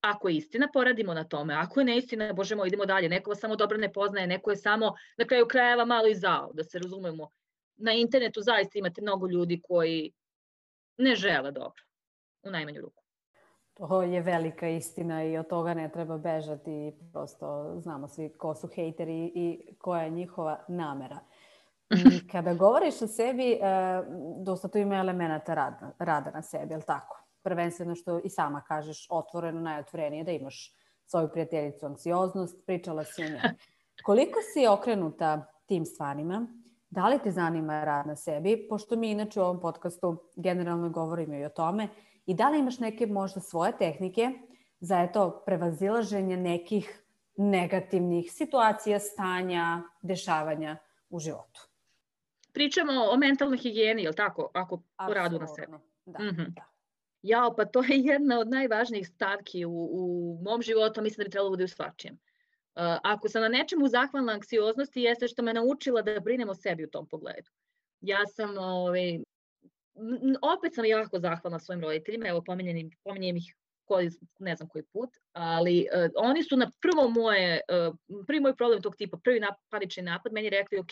Ako je istina, poradimo na tome. Ako je neistina, bože moj, idemo dalje. Neko vas samo dobro ne poznaje, neko je samo na kraju krajeva malo i zao, da se razumemo. Na internetu zaista imate mnogo ljudi koji ne žele dobro, u najmanju ruku. To je velika istina i od toga ne treba bežati. Prosto znamo svi ko su hejteri i koja je njihova namera. Kada govoriš o sebi, dosta tu ima elemenata rada, rada na sebi, je li tako? Prvenstveno što i sama kažeš, otvoreno, najotvorenije, da imaš svoju prijateljicu anksioznost, pričala si o njoj. Koliko si okrenuta tim stvarima? Da li te zanima rad na sebi? Pošto mi inače u ovom podcastu generalno govorimo i o tome. I da li imaš neke možda svoje tehnike za eto, prevazilaženje nekih negativnih situacija, stanja, dešavanja u životu? Pričamo o mentalnoj higijeni, je li tako? Ako u radu na sebi. Da, mm-hmm. da. Jao, pa to je jedna od najvažnijih stavki u, u mom životu, mislim da bi trebalo bude u svačijem. Uh, ako sam na nečemu zahvalna anksioznosti, jeste što me naučila da brinem o sebi u tom pogledu. Ja sam, ovaj, opet sam jako zahvalna svojim roditeljima, evo pominjem, pominjem ih koji, ne znam koji put, ali uh, oni su na prvo moje, uh, prvi moj problem tog tipa, prvi nap, panični napad, meni rekli, ok,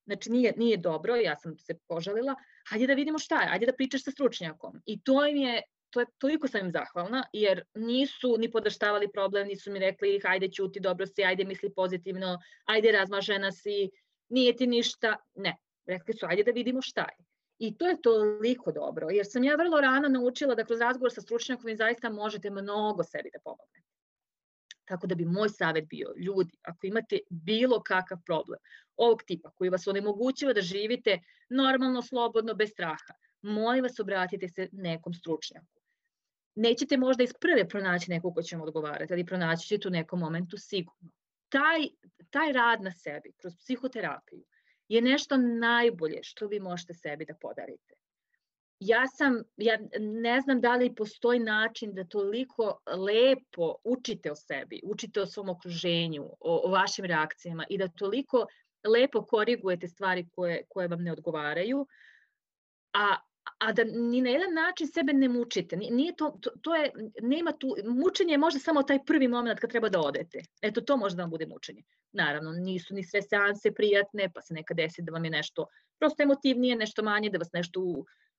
znači nije, nije dobro, ja sam se požalila, hajde da vidimo šta je, hajde da pričaš sa stručnjakom. I to im je, to je, toliko sam im zahvalna, jer nisu ni podaštavali problem, nisu mi rekli hajde ćuti, dobro si, hajde misli pozitivno, hajde razmažena si, nije ti ništa, ne. Rekli su hajde da vidimo šta je. I to je toliko dobro, jer sam ja vrlo rano naučila da kroz razgovor sa stručnjakom vi zaista možete mnogo sebi da pomognete. Tako da bi moj savjet bio, ljudi, ako imate bilo kakav problem ovog tipa koji vas onemogućava da živite normalno, slobodno, bez straha, molim vas obratite se nekom stručnjaku. Nećete možda iz prve pronaći nekog ko će vam odgovarati, ali pronaći ćete u nekom momentu sigurno. Taj, taj rad na sebi kroz psihoterapiju je nešto najbolje što vi možete sebi da podarite. Ja sam, ja ne znam da li postoji način da toliko lepo učite o sebi, učite o svom okruženju, o, o vašim reakcijama i da toliko lepo korigujete stvari koje, koje vam ne odgovaraju, a, a da ni na jedan način sebe ne mučite. Nije to, to, to je, nema tu, mučenje je možda samo taj prvi moment kad treba da odete. Eto, to možda vam bude mučenje. Naravno, nisu ni sve seanse prijatne, pa se nekad desi da vam je nešto prosto emotivnije, nešto manje, da vas nešto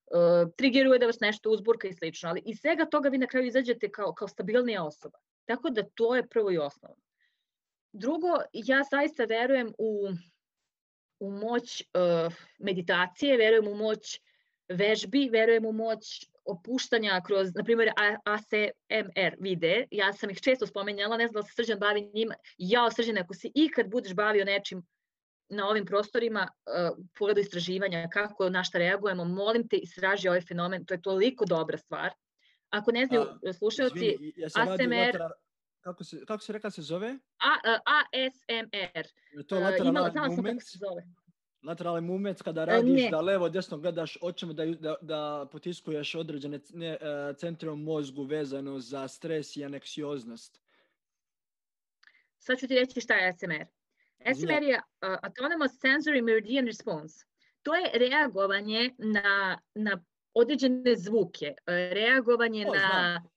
uh, triggeruje da vas nešto uzburka i slično, ali iz svega toga vi na kraju izađete kao, kao stabilnija osoba. Tako da to je prvo i osnovno. Drugo, ja zaista verujem u, u moć uh, meditacije, verujem u moć vežbi, verujem u moć opuštanja kroz, na primjer, A S M R videe. Ja sam ih često spomenjala, ne znam da se Srđan bavi njima. Ja, Srđan, ako si ikad budeš bavio nečim na ovim prostorima, uh, pogledu istraživanja, kako na šta reagujemo, molim te, istraži ovaj fenomen, to je toliko dobra stvar. Ako ne znaju slušalci, ja A S M R... Kako se, kako se reka se zove? A, A S M R. Je to lateral uh, movement? Se zove. Lateral movement kada radiš ne. da levo desno gledaš očima da, da, da potiskuješ određene ne, uh, centre u mozgu vezano za stres i aneksioznost. Sad ću ti reći šta je A S M R. A S M R je uh, Autonomous Sensory Meridian Response. To je reagovanje na, na određene zvuke, uh, reagovanje o, na... Znam.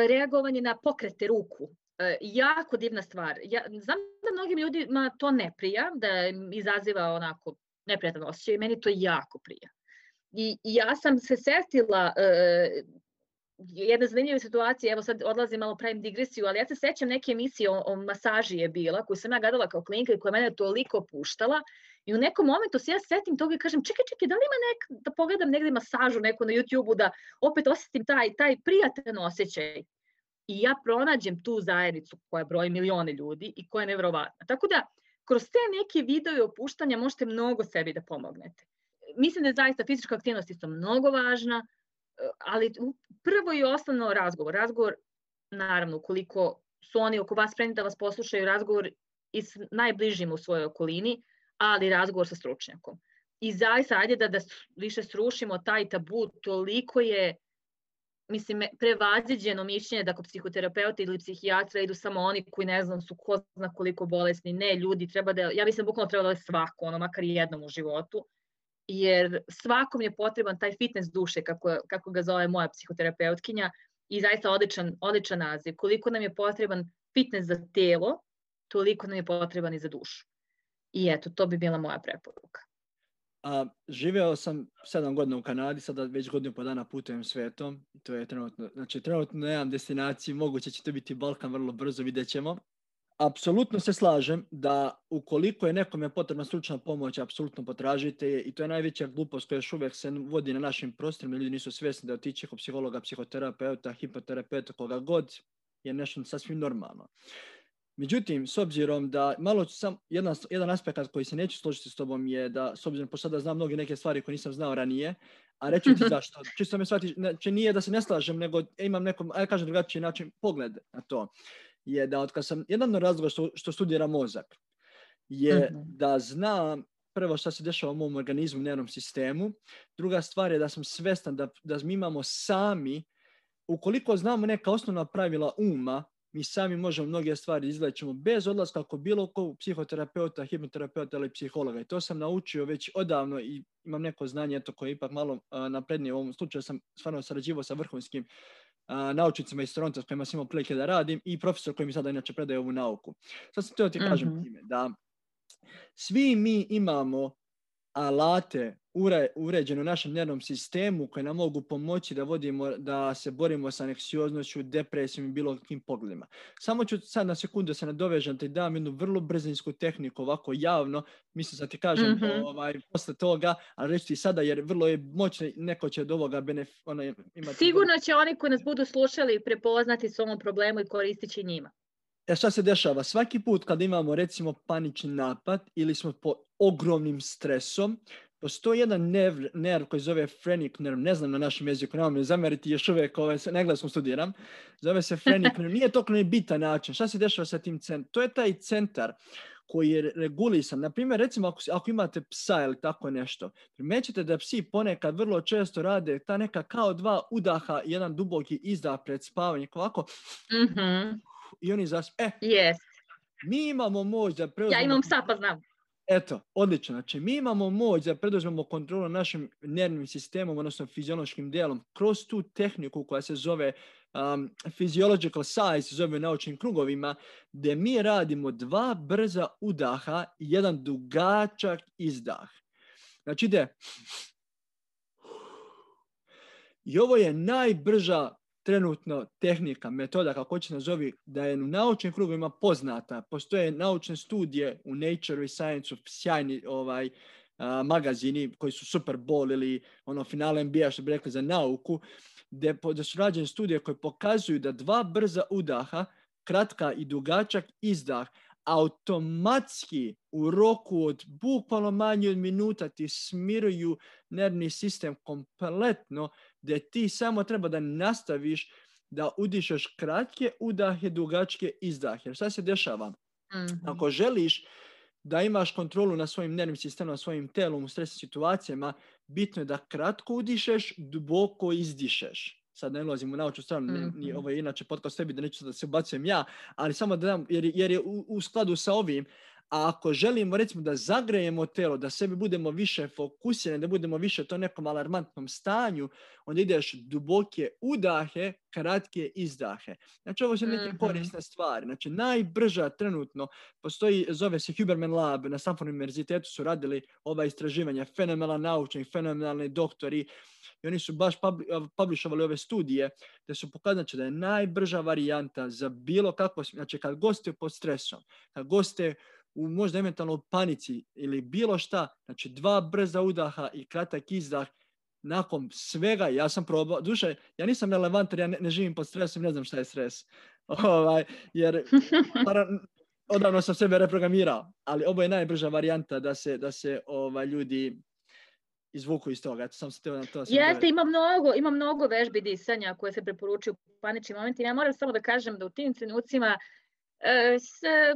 reagovanje na pokrete ruku. E, jako divna stvar. Ja znam da mnogim ljudima to ne prija, da im izaziva onako neprijatan osjećaj, meni to jako prija. I, i ja sam se setila e, jedna zanimljiva situacija, evo sad odlazim malo, pravim digresiju, ali ja se sećam neke emisije o, o masaži je bila, koju sam ja gledala kao klinka i koja mene toliko puštala. I u nekom momentu se ja setim toga i kažem, čekaj, čekaj, da li ima nek, da pogledam negde masažu neku na YouTube-u, da opet osjetim taj, taj prijatan osjećaj. I ja pronađem tu zajednicu koja broji milione ljudi i koja je nevjerovatna. Tako da, kroz te neke video opuštanja možete mnogo sebi da pomognete. Mislim da je zaista fizička aktivnost isto mnogo važna, ali prvo i osnovno razgovor. Razgovor, naravno, ukoliko su oni oko vas spremni da vas poslušaju, razgovor i s najbližim u svojoj okolini, ali razgovor sa stručnjakom. I zaista, ajde da, da više srušimo taj tabu, toliko je, mislim, prevaziđeno mišljenje da kod psihoterapeuta ili psihijatra idu samo oni koji ne znam su ko zna koliko bolesni. Ne, ljudi, treba da, ja mislim bukvalno treba da je svako, ono, makar i jednom u životu, jer svakom je potreban taj fitness duše, kako, kako ga zove moja psihoterapeutkinja, i zaista odličan, odličan naziv. Koliko nam je potreban fitness za telo, toliko nam je potreban i za dušu. I eto, to bi bila moja preporuka. A, živeo sam sedam godina u Kanadi, sada već godinu po dana putujem svetom. To je trenutno, znači trenutno nemam destinaciju, moguće će to biti Balkan vrlo brzo, vidjet ćemo. Apsolutno se slažem da ukoliko je nekome potrebna stručna pomoć, apsolutno potražite je, i to je najveća glupost koja još uvijek se vodi na našim prostorima. Ljudi nisu svjesni da otići kod psihologa, psihoterapeuta, hipoterapeuta, koga god, je nešto sasvim normalno. Međutim, s obzirom da malo ću sam, jedan, jedan aspekt koji se neću složiti s tobom je da, s obzirom po sada znam mnoge neke stvari koje nisam znao ranije, a reću ti zašto. Čisto me shvati, znači nije da se ne slažem, nego imam nekom, aj kažem drugačiji način pogled na to. Je da od kad sam, jedan od razloga što, što studiram mozak, je uh-huh. da znam prvo što se dešava u mom organizmu, u nervnom sistemu. Druga stvar je da sam svestan da, da mi imamo sami, ukoliko znamo neka osnovna pravila uma, mi sami možemo mnoge stvari izlečimo bez odlaska kod bilo kog psihoterapeuta, hipnoterapeuta ili psihologa. I to sam naučio već odavno i imam neko znanje eto, koje je ipak malo uh, naprednije. U ovom slučaju sam stvarno sarađivao sa vrhunskim uh, naučnicima iz Toronto s kojima sam imao prilike da radim i profesor koji mi sada inače predaje ovu nauku. Sad sam teo ti kažem mm-hmm. time da svi mi imamo alate ure, uređene u našem nervnom sistemu koje nam mogu pomoći da vodimo, da se borimo sa anksioznošću, depresijom i bilo kim pogledima. Samo ću sad na sekundu se nadovežem te dam jednu vrlo brzinsku tehniku ovako javno, mislim da ti kažem mm-hmm. ovaj, posle toga, ali reći ti sada jer vrlo je moćno, neko će od ovoga benef, ona, imati... Sigurno će oni koji nas budu slušali prepoznati s ovom problemu i koristići njima. E šta se dešava? Svaki put kad imamo recimo panični napad ili smo pod ogromnim stresom, postoji jedan nerv, nerv koji zove phrenic nerv, ne znam na našem jeziku, nemam me zameriti još uvijek, ovaj, na engleskom studiram, zove se phrenic nerv, nije toliko nebitan način. Šta se dešava sa tim centrom? To je taj centar koji je regulisan. Naprimjer, recimo ako, ako imate psa ili tako nešto, primećete da psi ponekad vrlo često rade ta neka kao dva udaha, jedan duboki izdah pred spavanjem, ovako, mm-hmm. i oni zasp... E, yes. mi imamo moć da preuzmemo... Ja imam psa, pa znam. Eto, odlično. Znači, mi imamo moć da preduzmemo kontrolu našim nervnim sistemom, odnosno fiziološkim dijelom, kroz tu tehniku koja se zove um, physiological sigh, se zove u naučnim krugovima, gdje mi radimo dva brza udaha i jedan dugačak izdah. Znači, ide... I ovo je najbrža trenutno tehnika, metoda, kako će nazovi, da je u naučnim krugovima poznata. Postoje naučne studije u Nature i Science, sjajni ovaj, a, magazini koji su Super Bowl ili ono finale N B A, što bi rekli za nauku, gdje da su rađene studije koje pokazuju da dva brza udaha, kratka i dugačak izdah, automatski u roku od bukvalno manje od minuta ti smiruju nervni sistem kompletno, gdje ti samo treba da nastaviš da udišeš kratke udahe, dugačke izdahe. Jer šta se dešava? Mm-hmm. Ako želiš da imaš kontrolu na svojim nervnim sistemom, na svojim telom u stresnim situacijama, bitno je da kratko udišeš, duboko izdišeš. Sad ne ulazim u naučnu stranu, mm-hmm. ni, ovo je inače podcast tebi da neću da se ubacujem ja, ali samo da dam, jer, jer je u, u skladu sa ovim, a ako želimo recimo da zagrejemo telo, da sebi budemo više fokusirani, da budemo više to nekom alarmantnom stanju, onda ideš duboke udahe, kratke izdahe. Znači ovo su neke mm-hmm. korisne stvari. Znači najbrža trenutno postoji, zove se Huberman Lab, na Stanford univerzitetu su radili ova istraživanja, fenomenalni naučni, fenomenalni doktori, i oni su baš publishovali ove studije gdje su pokazali da je najbrža varijanta za bilo kako, znači kad goste pod stresom, kad goste u možda eventualno panici ili bilo šta, znači dva brza udaha i kratak izdah, nakon svega, ja sam probao, duše, ja nisam relevantan, ja ne, ne živim pod stresom, ne znam šta je stres, ovaj, jer odavno sam sebe reprogramirao, ali ovo je najbrža varijanta da se, da se ovaj, ljudi izvuku iz toga. Sam se na to Jeste, ima mnogo, ima mnogo vežbi disanja koje se preporučuju u paničnim momentima. Ja moram samo da kažem da u tim trenucima e, se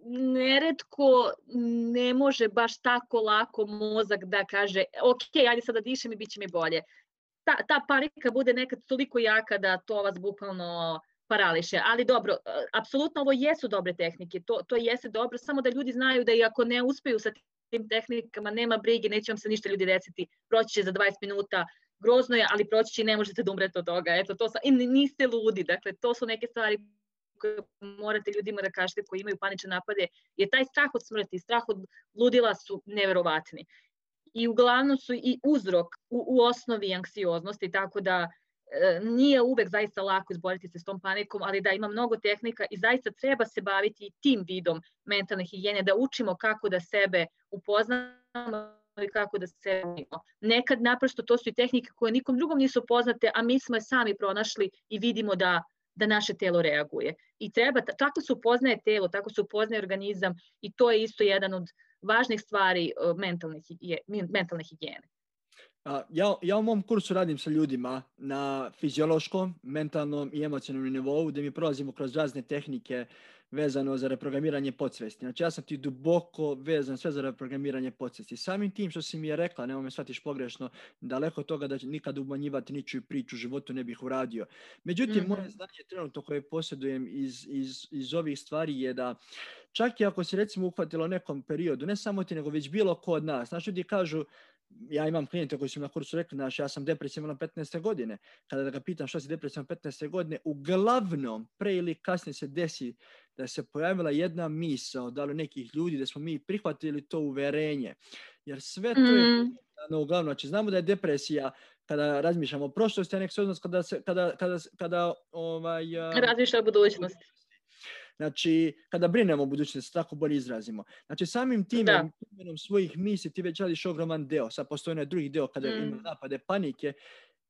neretko ne može baš tako lako mozak da kaže ok, ajde sada dišem i bit će mi bolje. Ta, ta panika bude nekad toliko jaka da to vas bukvalno parališe. Ali dobro, apsolutno ovo jesu dobre tehnike, to, to jeste dobro, samo da ljudi znaju da i ako ne uspeju sa tim tehnikama, nema brige, neće vam se ništa ljudi desiti, proći će za dvadeset minuta, grozno je, ali proći će i ne možete da umrete od toga. Eto, to sam, i niste ludi, dakle, to su neke stvari koje morate ljudima da kažete koji imaju panične napade, jer taj strah od smrti, strah od ludila su neverovatni. I uglavnom su i uzrok u, u osnovi anksioznosti, tako da e, nije uvek zaista lako izboriti se s tom panikom, ali da ima mnogo tehnika i zaista treba se baviti tim vidom mentalne higijene, da učimo kako da sebe upoznamo i kako da se učimo. Nekad naprosto to su i tehnike koje nikom drugom nisu poznate, a mi smo je sami pronašli i vidimo da da naše telo reaguje. I treba, tako se upoznaje telo, tako se upoznaje organizam i to je isto jedan od važnih stvari mentalne, mentalne higijene. Ja, ja u mom kursu radim sa ljudima na fiziološkom, mentalnom i emocionalnom nivou, gdje mi prolazimo kroz razne tehnike vezano za reprogramiranje podsvesti. Znači ja sam ti duboko vezan sve za reprogramiranje podsvesti. Samim tim što si mi je rekla, nemoj me shvatiš pogrešno, daleko od toga da će nikad umanjivati ničiju priču u životu ne bih uradio. Međutim, mm-hmm. moje znanje trenutno koje posjedujem iz, iz, iz ovih stvari je da čak i ako si recimo uhvatilo u nekom periodu, ne samo ti nego već bilo ko od nas, znači ljudi kažu, ja imam klijente koji su na kursu rekli, znaš, ja sam depresivan na petnaeste godine. Kada da ga pitam što si depresivan na petnaeste godine, uglavnom, pre ili kasnije se desi da se pojavila jedna misao, da li nekih ljudi, da smo mi prihvatili to uverenje. Jer sve to je, mm. no, uglavnom, znači znamo da je depresija kada razmišljamo o prošlosti, a nek se odnos kada, se, kada, kada, kada ovaj, razmišlja o budućnosti. Znači, kada brinemo o budućnosti, tako bolje izrazimo. Znači, samim tim imenom svojih misli ti već radiš ogroman deo. Sad postoji onaj drugi deo kada mm. ima napade panike.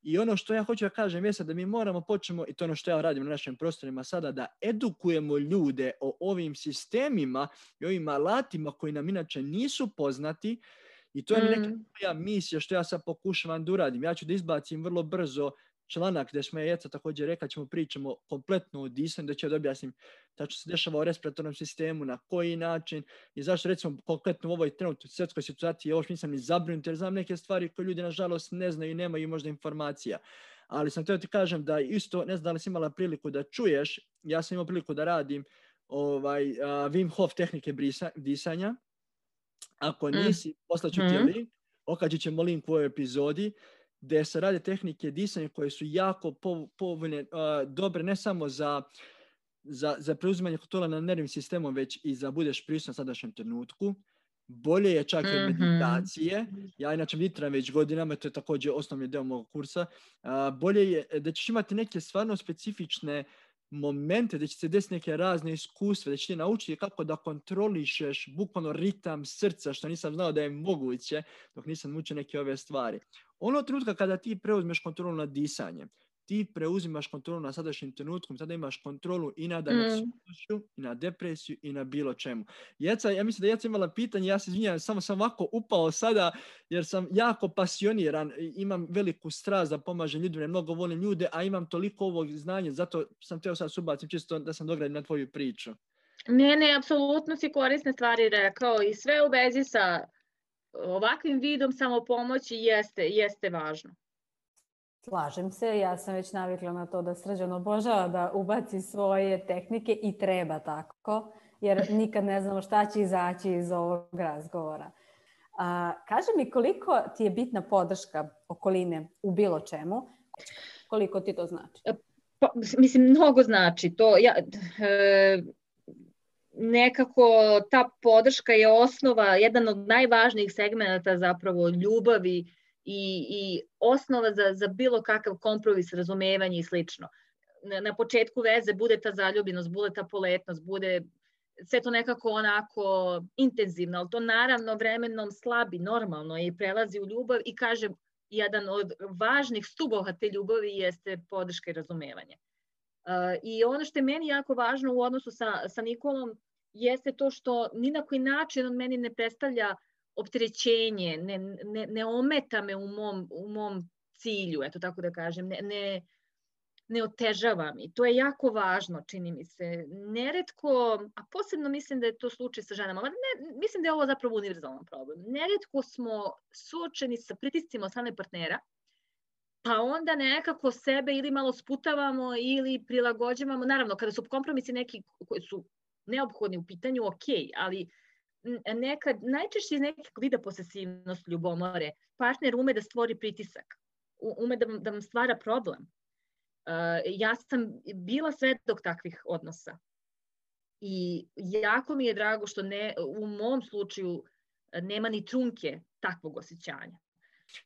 I ono što ja hoću da kažem je da mi moramo počnemo, i to ono što ja radim na našim prostorima sada, da edukujemo ljude o ovim sistemima i ovim alatima koji nam inače nisu poznati. I to je mm. neka moja misija što ja sad pokušavam da uradim. Ja ću da izbacim vrlo brzo članak gdje smo je Jeca također rekla, ćemo pričamo kompletno o disanju, da će da objasnim šta se dešava u respiratornom sistemu, na koji način i zašto recimo konkretno u ovoj trenutnoj svjetskoj situaciji još nisam ni zabrinut jer znam neke stvari koje ljudi nažalost ne znaju i nemaju možda informacija. Ali sam htio ti kažem da isto, ne znam da li si imala priliku da čuješ, ja sam imao priliku da radim ovaj, uh, Wim Hof tehnike brisa, disanja. Ako nisi, mm. poslaću ti mm. link, okačit ćemo link u ovoj epizodi, gdje se rade tehnike disanja koje su jako povoljne, uh, dobre ne samo za, za, za preuzimanje kontrola nad nervnim sistemom, već i za budeš prisutan u sadašnjem trenutku. bolje je čak i od Mhm. meditacije. Ja inače meditiram već godinama, to je također osnovni deo mog kursa. A, bolje je da ćeš imati neke stvarno specifične momente, da će se desiti neke razne iskustva, da će ti naučiti kako da kontrolišeš bukvalno ritam srca, što nisam znao da je moguće dok nisam učio neke ove stvari. Ono trenutka kada ti preuzmeš kontrolu nad disanjem, ti preuzimaš kontrolu na sadašnjim trenutkom, tada imaš kontrolu i nad anksioznošću, i na depresiju, i na bilo čemu. Jeca, ja mislim da Jeca imala pitanje, ja se izvinjam, samo sam ovako upao sada, jer sam jako pasioniran, imam veliku strast da pomažem ljudima, mnogo volim ljude, a imam toliko ovog znanja, zato sam teo sad subacim čisto da sam dogradim na tvoju priču. Ne, ne, apsolutno si korisne stvari rekao i sve u vezi sa ovakvim vidom samopomoći jeste, jeste važno. Slažem se, ja sam već navikla na to da Srđan obožava da ubaci svoje tehnike i treba tako, jer nikad ne znamo šta će izaći iz ovog razgovora. A, kaži mi koliko ti je bitna podrška okoline u bilo čemu, koliko ti to znači? Pa, mislim, mnogo znači to. Ja, e, nekako ta podrška je osnova, jedan od najvažnijih segmenata zapravo ljubavi i, i osnova za, za bilo kakav kompromis, razumevanje i slično. Na, na početku veze bude ta zaljubljenost, bude ta poletnost, bude sve to nekako onako intenzivno, ali to naravno vremenom slabi, normalno i prelazi u ljubav i kažem, jedan od važnih stubova te ljubavi jeste podrška i razumevanje. Uh, I ono što je meni jako važno u odnosu sa, sa Nikolom jeste to što ni na koji način on meni ne predstavlja opterećenje, ne, ne, ne ometa me u mom, u mom cilju, eto tako da kažem, ne, ne, ne otežava mi. To je jako važno, čini mi se. Neretko, a posebno mislim da je to slučaj sa ženama, ne, mislim da je ovo zapravo univerzalan problem. Neretko smo suočeni sa pritiscima od strane partnera, pa onda nekako sebe ili malo sputavamo ili prilagođavamo. Naravno, kada su kompromisi neki koji su neophodni u pitanju, ok, ali nekad, najčešće iz nekog vida posesivnost, ljubomore, partner ume da stvori pritisak, ume da, da vam stvara problem. Uh, ja sam bila svedok takvih odnosa i jako mi je drago što ne, u mom slučaju nema ni trunke takvog osjećanja.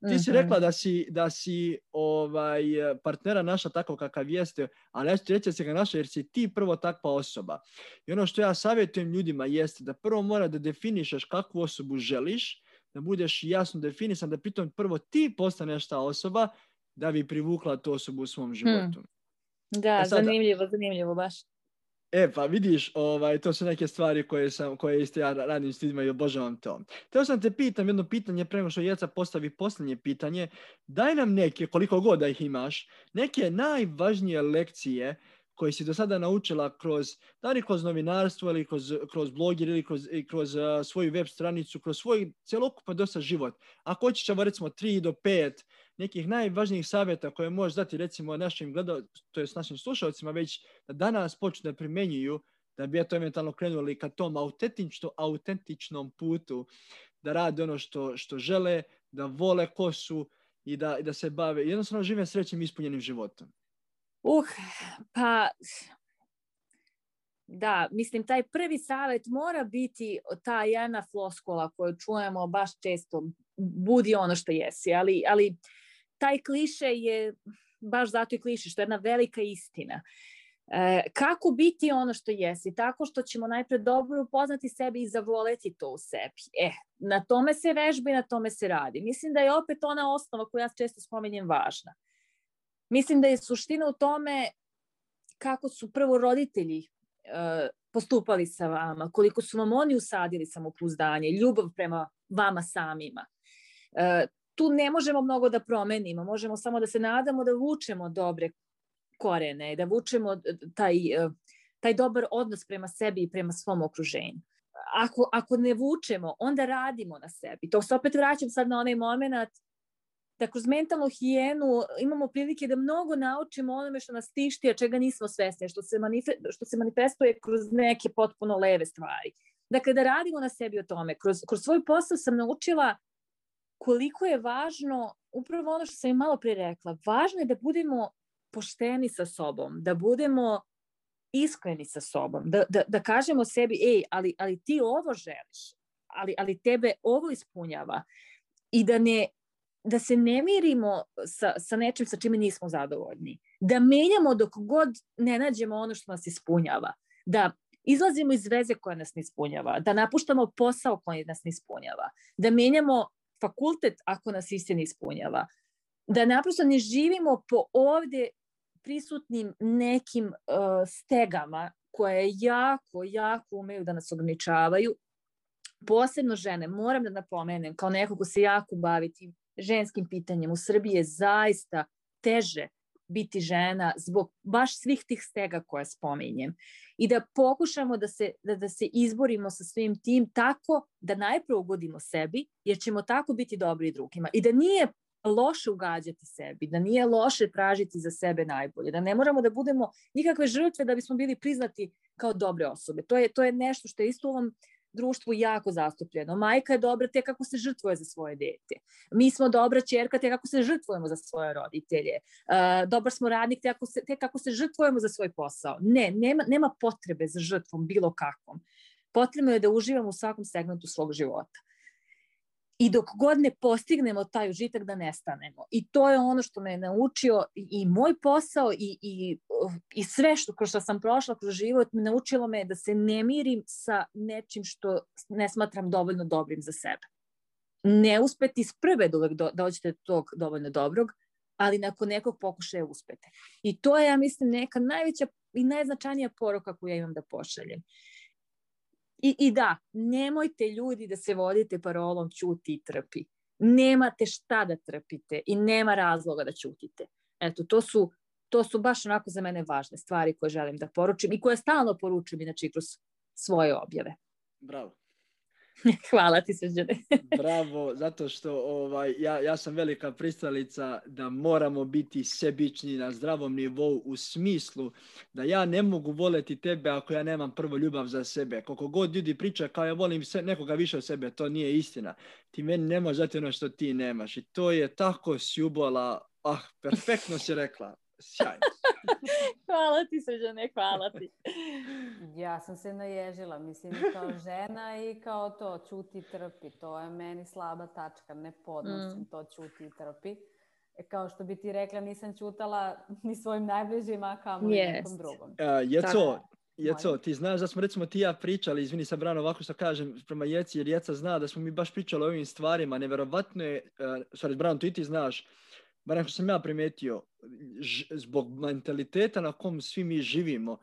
Ti si rekla da si, da si ovaj, partnera naša tako kakav jeste, ali ja ću ti reći da si ga naša jer si ti prvo takva osoba. I ono što ja savjetujem ljudima jeste da prvo mora da definišeš kakvu osobu želiš, da budeš jasno definisan, da pritom prvo ti postaneš ta osoba da bi privukla tu osobu u svom životu. Hmm. Da, e sad, zanimljivo, zanimljivo baš. E, pa vidiš, ovaj, to su neke stvari koje, sam, koje isto ja radim s ljudima i obožavam to. Teo sam te pitam jedno pitanje, pre nego što Jeca postavi posljednje pitanje. Daj nam neke, koliko god da ih imaš, neke najvažnije lekcije koje si do sada naučila kroz, da li kroz novinarstvo ili kroz, kroz blogir ili kroz, kroz uh, svoju web stranicu, kroz svoj cjelokupan dosta život. Ako hoćeš, recimo, tri do pet nekih najvažnijih savjeta koje možeš dati recimo našim gledalcima, to je s našim slušalcima već da danas počnu da primjenjuju, da bi eto eventualno krenuli ka tom autentično, autentičnom putu, da rade ono što, što žele, da vole ko su i da, i da se bave, jednostavno žive srećnim ispunjenim životom. Uh, pa da, mislim, taj prvi savjet mora biti ta jedna floskula koju čujemo baš često, budi ono što jesi, ali, ali taj kliše je baš zato i kliše, što je jedna velika istina. E, kako biti ono što jesi? Tako što ćemo najpred dobro upoznati sebi i zavoleti to u sebi. E, na tome se vežba i na tome se radi. Mislim da je opet ona osnova koju ja često spominjem važna. Mislim da je suština u tome kako su prvo roditelji e, postupali sa vama, koliko su vam oni usadili samopouzdanje, ljubav prema vama samima. E, tu ne možemo mnogo da promenimo, možemo samo da se nadamo da vučemo dobre korene, da vučemo taj, taj dobar odnos prema sebi i prema svom okruženju. Ako, ako ne vučemo, onda radimo na sebi. To se opet vraćam sad na onaj moment da kroz mentalnu higijenu imamo prilike da mnogo naučimo onome što nas tišti, a čega nismo svesni, što se, manife, što se manifestuje kroz neke potpuno leve stvari. Dakle, da radimo na sebi o tome. Kroz, kroz svoj posao sam naučila koliko je važno, upravo ono što sam i malo prije rekla, važno je da budemo pošteni sa sobom, da budemo iskreni sa sobom, da, da, da kažemo sebi, ej, ali, ali ti ovo želiš, ali, ali tebe ovo ispunjava. I da, ne, da se ne mirimo sa, sa nečim sa čime nismo zadovoljni. Da menjamo dok god ne nađemo ono što nas ispunjava. Da izlazimo iz veze koja nas ne ispunjava. Da napuštamo posao koji nas ne ispunjava. Da menjamo fakultet ako nas isti ne ispunjava. Da naprosto ne živimo po ovdje prisutnim nekim uh, stegama koje jako, jako umeju da nas ograničavaju. Posebno žene, moram da napomenem, kao neko ko se jako bavi tim ženskim pitanjem, u Srbiji je zaista teže biti žena zbog baš svih tih stega koje spominjem. I da pokušamo da se, da, da se izborimo sa svim tim tako da najprije ugodimo sebi, jer ćemo tako biti dobri drugima. I da nije loše ugađati sebi, da nije loše tražiti za sebe najbolje, da ne moramo da budemo nikakve žrtve da bismo bili priznati kao dobre osobe. To je, to je nešto što je isto u ovom društvu jako zastupljeno. Majka je dobra te kako se žrtvuje za svoje dete. Mi smo dobra ćerka te kako se žrtvujemo za svoje roditelje. Uh, dobar smo radnik te kako, se, te kako se žrtvujemo za svoj posao. Ne, nema, nema potrebe za žrtvom bilo kakvom. Potrebno je da uživamo u svakom segmentu svog života. I dok god ne postignemo taj užitak da nestanemo. I to je ono što me je naučio i moj posao i, i, i sve što, kroz što sam prošla kroz život, naučilo me da se ne mirim sa nečim što ne smatram dovoljno dobrim za sebe. Ne uspeti iz prve da uvek do, dođete do tog dovoljno dobrog, ali nakon nekog pokušaja uspete. I to je, ja mislim, neka najveća i najznačajnija poruka koju ja imam da pošaljem. I, I da, nemojte ljudi da se vodite parolom ćuti i trpi. Nemate šta da trpite i nema razloga da ćutite. Eto, to su, to su baš onako za mene važne stvari koje želim da poručim i koje stalno poručujem inače kroz svoje objave. Bravo. Hvala ti, Srđane. Bravo, zato što ovaj, ja, ja sam velika pristalica da moramo biti sebični na zdravom nivou u smislu da ja ne mogu voljeti tebe ako ja nemam prvo ljubav za sebe. Koliko god ljudi priča kao ja volim se, nekoga više od sebe, to nije istina. Ti meni ne možeš dati ono što ti nemaš. I to je tako sjubola. Ah, perfektno si rekla. Sjajno. Hvala ti, Srđane, hvala ti. Ja sam se naježila, mislim, kao žena i kao to, ćuti i trpi. To je meni slaba tačka, ne podnosim mm. to ćuti i trpi. E, kao što bi ti rekla, nisam ćutala ni svojim najbližima, kao ni yes. nekom drugom. Uh, Jeco, Jeco, ti znaš da smo recimo ti ja pričali, izvini sam Brano ovako što kažem prema Jeci, jer Jeca zna da smo mi baš pričali o ovim stvarima. Neverovatno je, uh, sorry, Brano, tu i ti znaš, barem što sam ja primijetio, ž, zbog mentaliteta na kom svi mi živimo,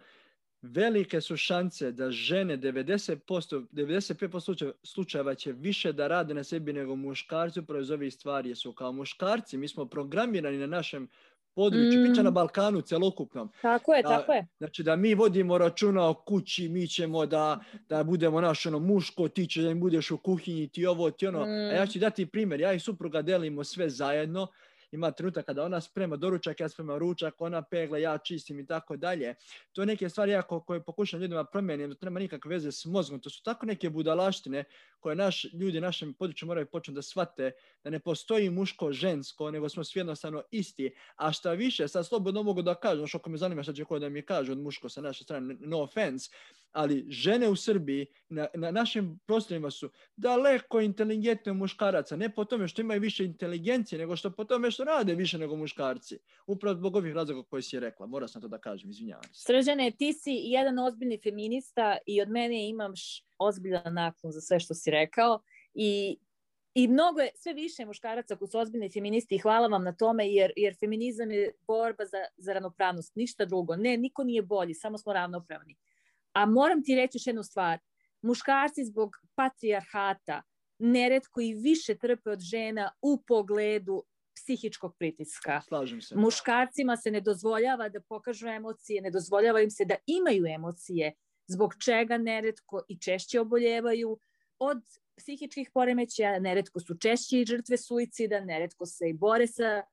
velike su šanse da žene devedeset posto, devedeset pet posto slučajeva će više da rade na sebi nego muškarci upravo iz ovih stvari. Jer su kao muškarci, mi smo programirani na našem području, mm. priča na Balkanu celokupnom. Tako je, da, tako je. Znači da mi vodimo računa o kući, mi ćemo da, da budemo naš ono, muško, ti će da im budeš u kuhinji, ti ovo, ti ono. Mm. A ja ću dati primjer, ja i supruga delimo sve zajedno. Ima trenutak kada ona sprema doručak, ja spremam ručak, ona pegla, ja čistim i tako dalje. To je neke stvari jako koje pokušam ljudima promijenim, to nema nikakve veze s mozgom. To su tako neke budalaštine koje naš, ljudi na našem području moraju početi da shvate da ne postoji muško, žensko, nego smo svi jednostavno isti. A šta više, sad slobodno mogu da kažem, što ako me zanima šta će ko da mi kaže od muško sa naše strane, no offense, ali žene u Srbiji na, na našim prostorima su daleko inteligentne muškaraca, ne po tome što imaju više inteligencije, nego što po tome što rade više nego muškarci. Upravo zbog ovih razloga koje si je rekla. Morao sam to da kažem, izvinjavam se. Srđane, ti si jedan ozbiljni feminista i od mene imaš ozbiljan naklon za sve što si rekao i I mnogo je, sve više muškaraca koji su ozbiljni feministi i hvala vam na tome jer, jer feminizam je borba za, za ravnopravnost, ništa drugo. Ne, niko nije bolji, samo smo ravnopravni. A moram ti reći još jednu stvar. Muškarci zbog patrijarhata neretko i više trpe od žena u pogledu psihičkog pritiska. Slažem se. Muškarcima se ne dozvoljava da pokažu emocije, ne dozvoljava im se da imaju emocije, zbog čega neretko i češće oboljevaju od psihičkih poremećaja, neretko su češće i žrtve suicida, neretko se i bore sa,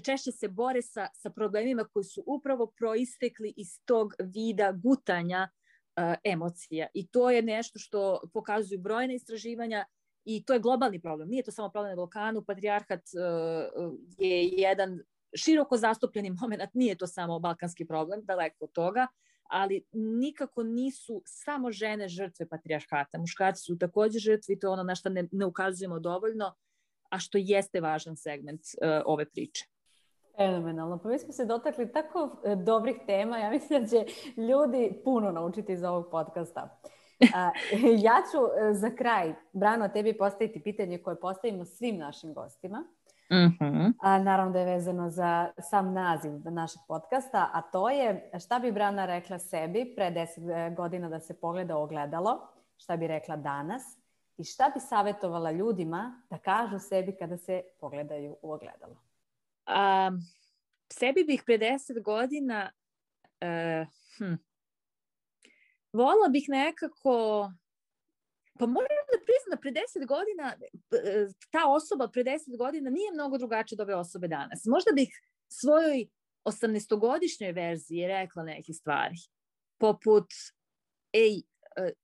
češće se bore sa, sa problemima koji su upravo proistekli iz tog vida gutanja uh, emocija. I to je nešto što pokazuju brojne istraživanja i to je globalni problem. Nije to samo problem na Balkanu, patrijarhat uh, je jedan široko zastupljeni moment, nije to samo balkanski problem, daleko od toga, ali nikako nisu samo žene žrtve patrijarhata. Muškarci su također žrtve i to je ono na što ne, ne ukazujemo dovoljno, a što jeste važan segment uh, ove priče. Fenomenalno. Pa mi smo se dotakli tako dobrih tema. Ja mislim da će ljudi puno naučiti iz ovog podcasta. A, ja ću za kraj, Brano, tebi postaviti pitanje koje postavimo svim našim gostima. Mm-hmm. A, naravno da je vezano za sam naziv našeg podcasta, a to je šta bi Brana rekla sebi pre deset godina da se pogleda u ogledalo, šta bi rekla danas i šta bi savjetovala ljudima da kažu sebi kada se pogledaju u ogledalo. Um, sebi bih pre deset godina uh, hm, volila bih nekako, pa moram da priznam da pre deset godina ta osoba pre deset godina nije mnogo drugačija od ove osobe danas. Možda bih svojoj osamnaestogodišnjoj verziji rekla neke stvari, poput ej,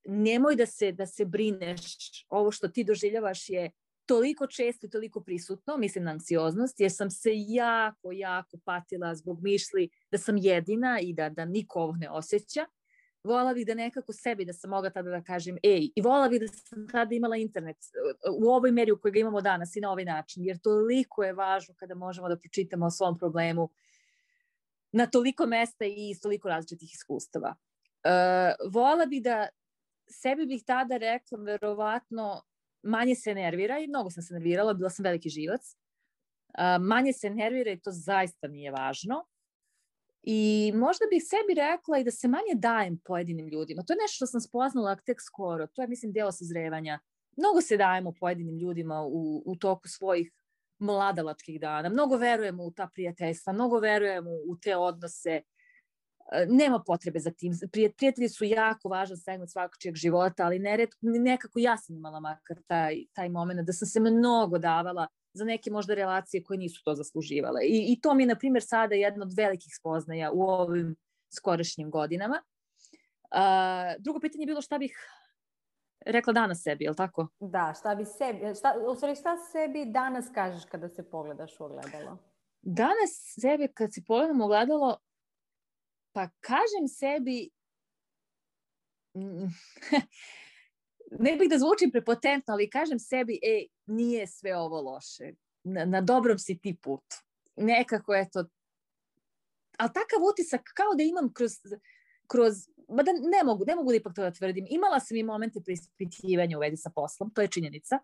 nemoj da se, da se brineš, ovo što ti doživljavaš je toliko često i toliko prisutno, mislim na anksioznost, jer sam se jako, jako patila zbog mišli da sam jedina i da, da niko ovo ne osjeća. Volila bih da nekako sebi, da sam mogla tada da kažem ej, i volila bih da sam tada imala internet u ovoj meri u kojoj ga imamo danas i na ovaj način, jer toliko je važno kada možemo da pročitamo o svom problemu na toliko mesta i iz toliko različitih iskustava. Uh, volila bih da sebi bih tada rekla verovatno manje se nervira i mnogo sam se nervirala, bila sam veliki živac. Uh, manje se nervira i to zaista nije važno. I možda bih sebi rekla i da se manje dajem pojedinim ljudima. To je nešto što sam spoznala tek skoro. To je, mislim, deo sazrevanja. Mnogo se dajemo pojedinim ljudima u, u toku svojih mladalačkih dana. Mnogo verujemo u ta prijateljstva, mnogo verujemo u te odnose. Nema potrebe za tim. Prijatelji su jako važan segment svakočijeg života, ali neretko, nekako ja sam imala makar taj, taj moment da sam se mnogo davala za neke možda relacije koje nisu to zasluživale. I, i to mi je, na primjer, sada jedna od velikih spoznaja u ovim skorašnjim godinama. Uh, drugo pitanje je bilo šta bih rekla danas sebi, je li tako? Da, šta bi sebi, šta, u stvari šta sebi danas kažeš kada se pogledaš u ogledalo? Danas sebi kad se pogledam u ogledalo, pa kažem sebi ne bih da zvučim prepotentno, ali kažem sebi, ej, nije sve ovo loše. Na, na dobrom si ti putu. Nekako, eto, ali takav utisak kao da imam kroz, kroz ma da ne mogu, ne mogu da ipak to da tvrdim. Imala sam i momente preispitivanja u vezi sa poslom, to je činjenica.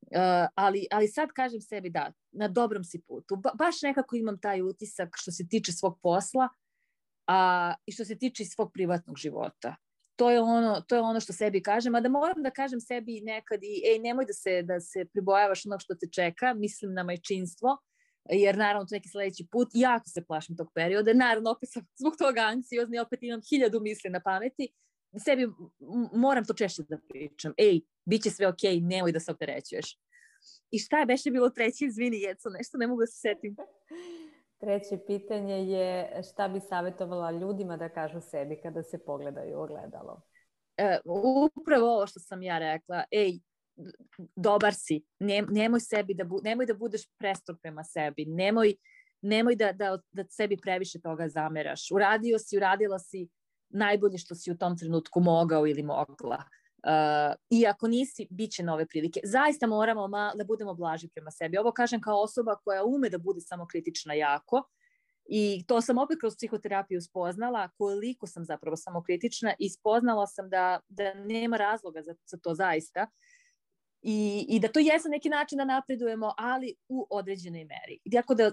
Uh, ali, ali sad kažem sebi da, na dobrom si putu. Ba, baš nekako imam taj utisak što se tiče svog posla a, i što se tiče svog privatnog života. To je ono, to je ono što sebi kažem, a da moram da kažem sebi nekad i ej, nemoj da se, da se pribojavaš onog što te čeka, mislim na majčinstvo, jer naravno to neki sljedeći put, jako se plašim tog perioda, naravno opet sam zbog toga anksiozni, opet imam hiljadu misli na pameti, sebi moram to češće da pričam, ej, bit će sve okej, okay, nemoj da se opterećuješ. I šta je beše bilo treće, izvini Jeco, nešto ne mogu da se setim. Treće pitanje je šta bi savjetovala ljudima da kažu sebi kada se pogledaju u ogledalo? E, upravo ovo što sam ja rekla, ej, dobar si, ne, nemoj, sebi da bu, nemoj da budeš prestrog prema sebi, nemoj, nemoj da, da, da sebi previše toga zameraš. Uradio si, uradila si najbolje što si u tom trenutku mogao ili mogla. Uh, I ako nisi, bit će nove prilike. Zaista moramo ma, da budemo blaži prema sebi. Ovo kažem kao osoba koja ume da bude samokritična jako i to sam opet kroz psihoterapiju spoznala koliko sam zapravo samokritična i spoznala sam da, da nema razloga za, za to zaista I, i da to je za neki način da napredujemo, ali u određenoj meri. Tako da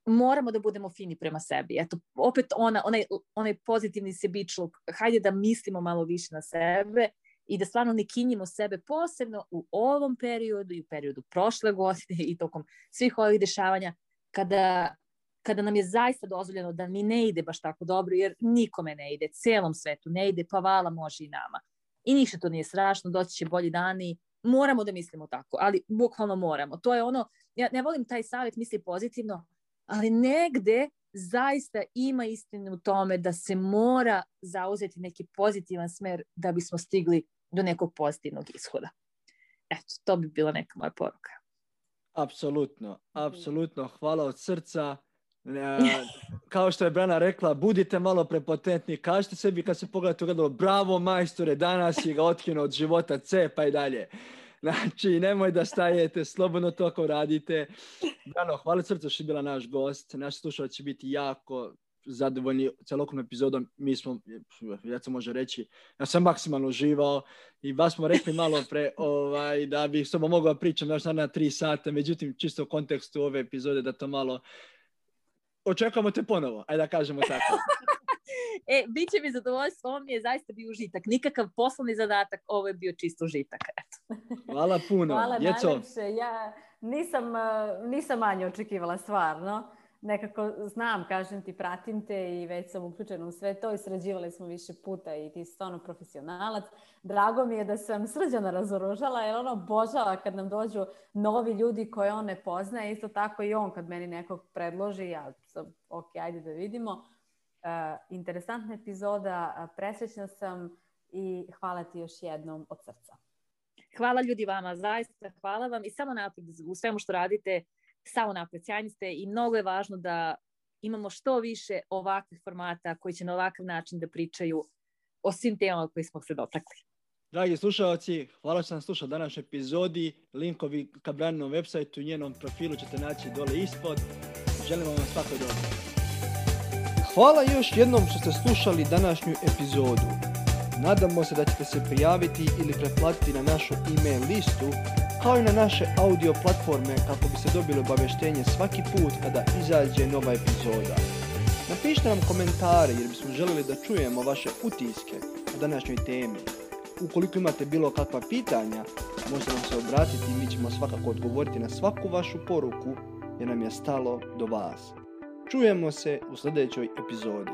moramo da budemo fini prema sebi. Eto, opet ona, onaj, onaj pozitivni sebičluk, hajde da mislimo malo više na sebe i da stvarno ne kinjimo sebe, posebno u ovom periodu i u periodu prošle godine i tokom svih ovih dešavanja, kada, kada nam je zaista dozvoljeno da mi ne ide baš tako dobro, jer nikome ne ide, celom svetu ne ide, pa vala može i nama. I ništa to nije strašno, doći će bolji dani, moramo da mislimo tako, ali bukvalno moramo. To je ono, ja ne volim taj savjet, misli pozitivno, ali negde zaista ima istine u tome da se mora zauzeti neki pozitivan smer da bismo stigli do nekog pozitivnog ishoda. Eto, to bi bila neka moja poruka. Apsolutno, apsolutno. Hvala od srca. Kao što je Brana rekla, budite malo prepotentni, kažete sebi kad se pogledate u gledalo, bravo majstore, danas je ga otkinuo od života, cepa i dalje. Znači, nemoj da stajete, slobodno to ako radite. Brano, hvala srca što je bila naš gost. Naši slušalci će biti jako zadovoljni celokupnom epizodom. Mi smo, ja se može reći, ja sam maksimalno uživao i vas smo rekli malo pre ovaj, da bih s tobom mogao pričati još na tri sata, međutim, čisto u kontekstu ove epizode da to malo očekujemo te ponovo, ajde da kažemo tako. E, bit će mi zadovoljstvo, ovo mi je zaista bio užitak. Nikakav poslovni zadatak, ovo je bio čisto užitak. Eto. Hvala puno. Hvala Djeco. najlepše. Ja nisam, nisam manje očekivala stvarno. Nekako znam, kažem ti, pratim te i već sam uključena u sve to i sređivali smo više puta i ti si stvarno profesionalac. Drago mi je da sam Srđana razoružala jer ono obožava kad nam dođu novi ljudi koje on ne poznaje. Isto tako i on kad meni nekog predloži, ja sam ok, ajde da vidimo. Uh, interesantna epizoda, uh, presrećna sam i hvala ti još jednom od srca. Hvala ljudi vama, zaista hvala vam i samo napred u svemu što radite, samo napred, sjajni ste i mnogo je važno da imamo što više ovakvih formata koji će na ovakav način da pričaju o svim temama koji smo se dotakli. Dragi slušalci, hvala što sam slušao današnju epizodi. Linkovi ka Braninom websajtu i njenom profilu ćete naći dole ispod. Želim vam svako dobro. Hvala još jednom što ste slušali današnju epizodu. Nadamo se da ćete se prijaviti ili pretplatiti na našu e-mail listu, kao i na naše audio platforme kako biste dobili obavještenje svaki put kada izađe nova epizoda. Napišite nam komentare jer bismo željeli da čujemo vaše utiske o današnjoj temi. Ukoliko imate bilo kakva pitanja, možete nam se obratiti i mi ćemo svakako odgovoriti na svaku vašu poruku jer nam je stalo do vas. Čujemo se u sljedećoj epizodi.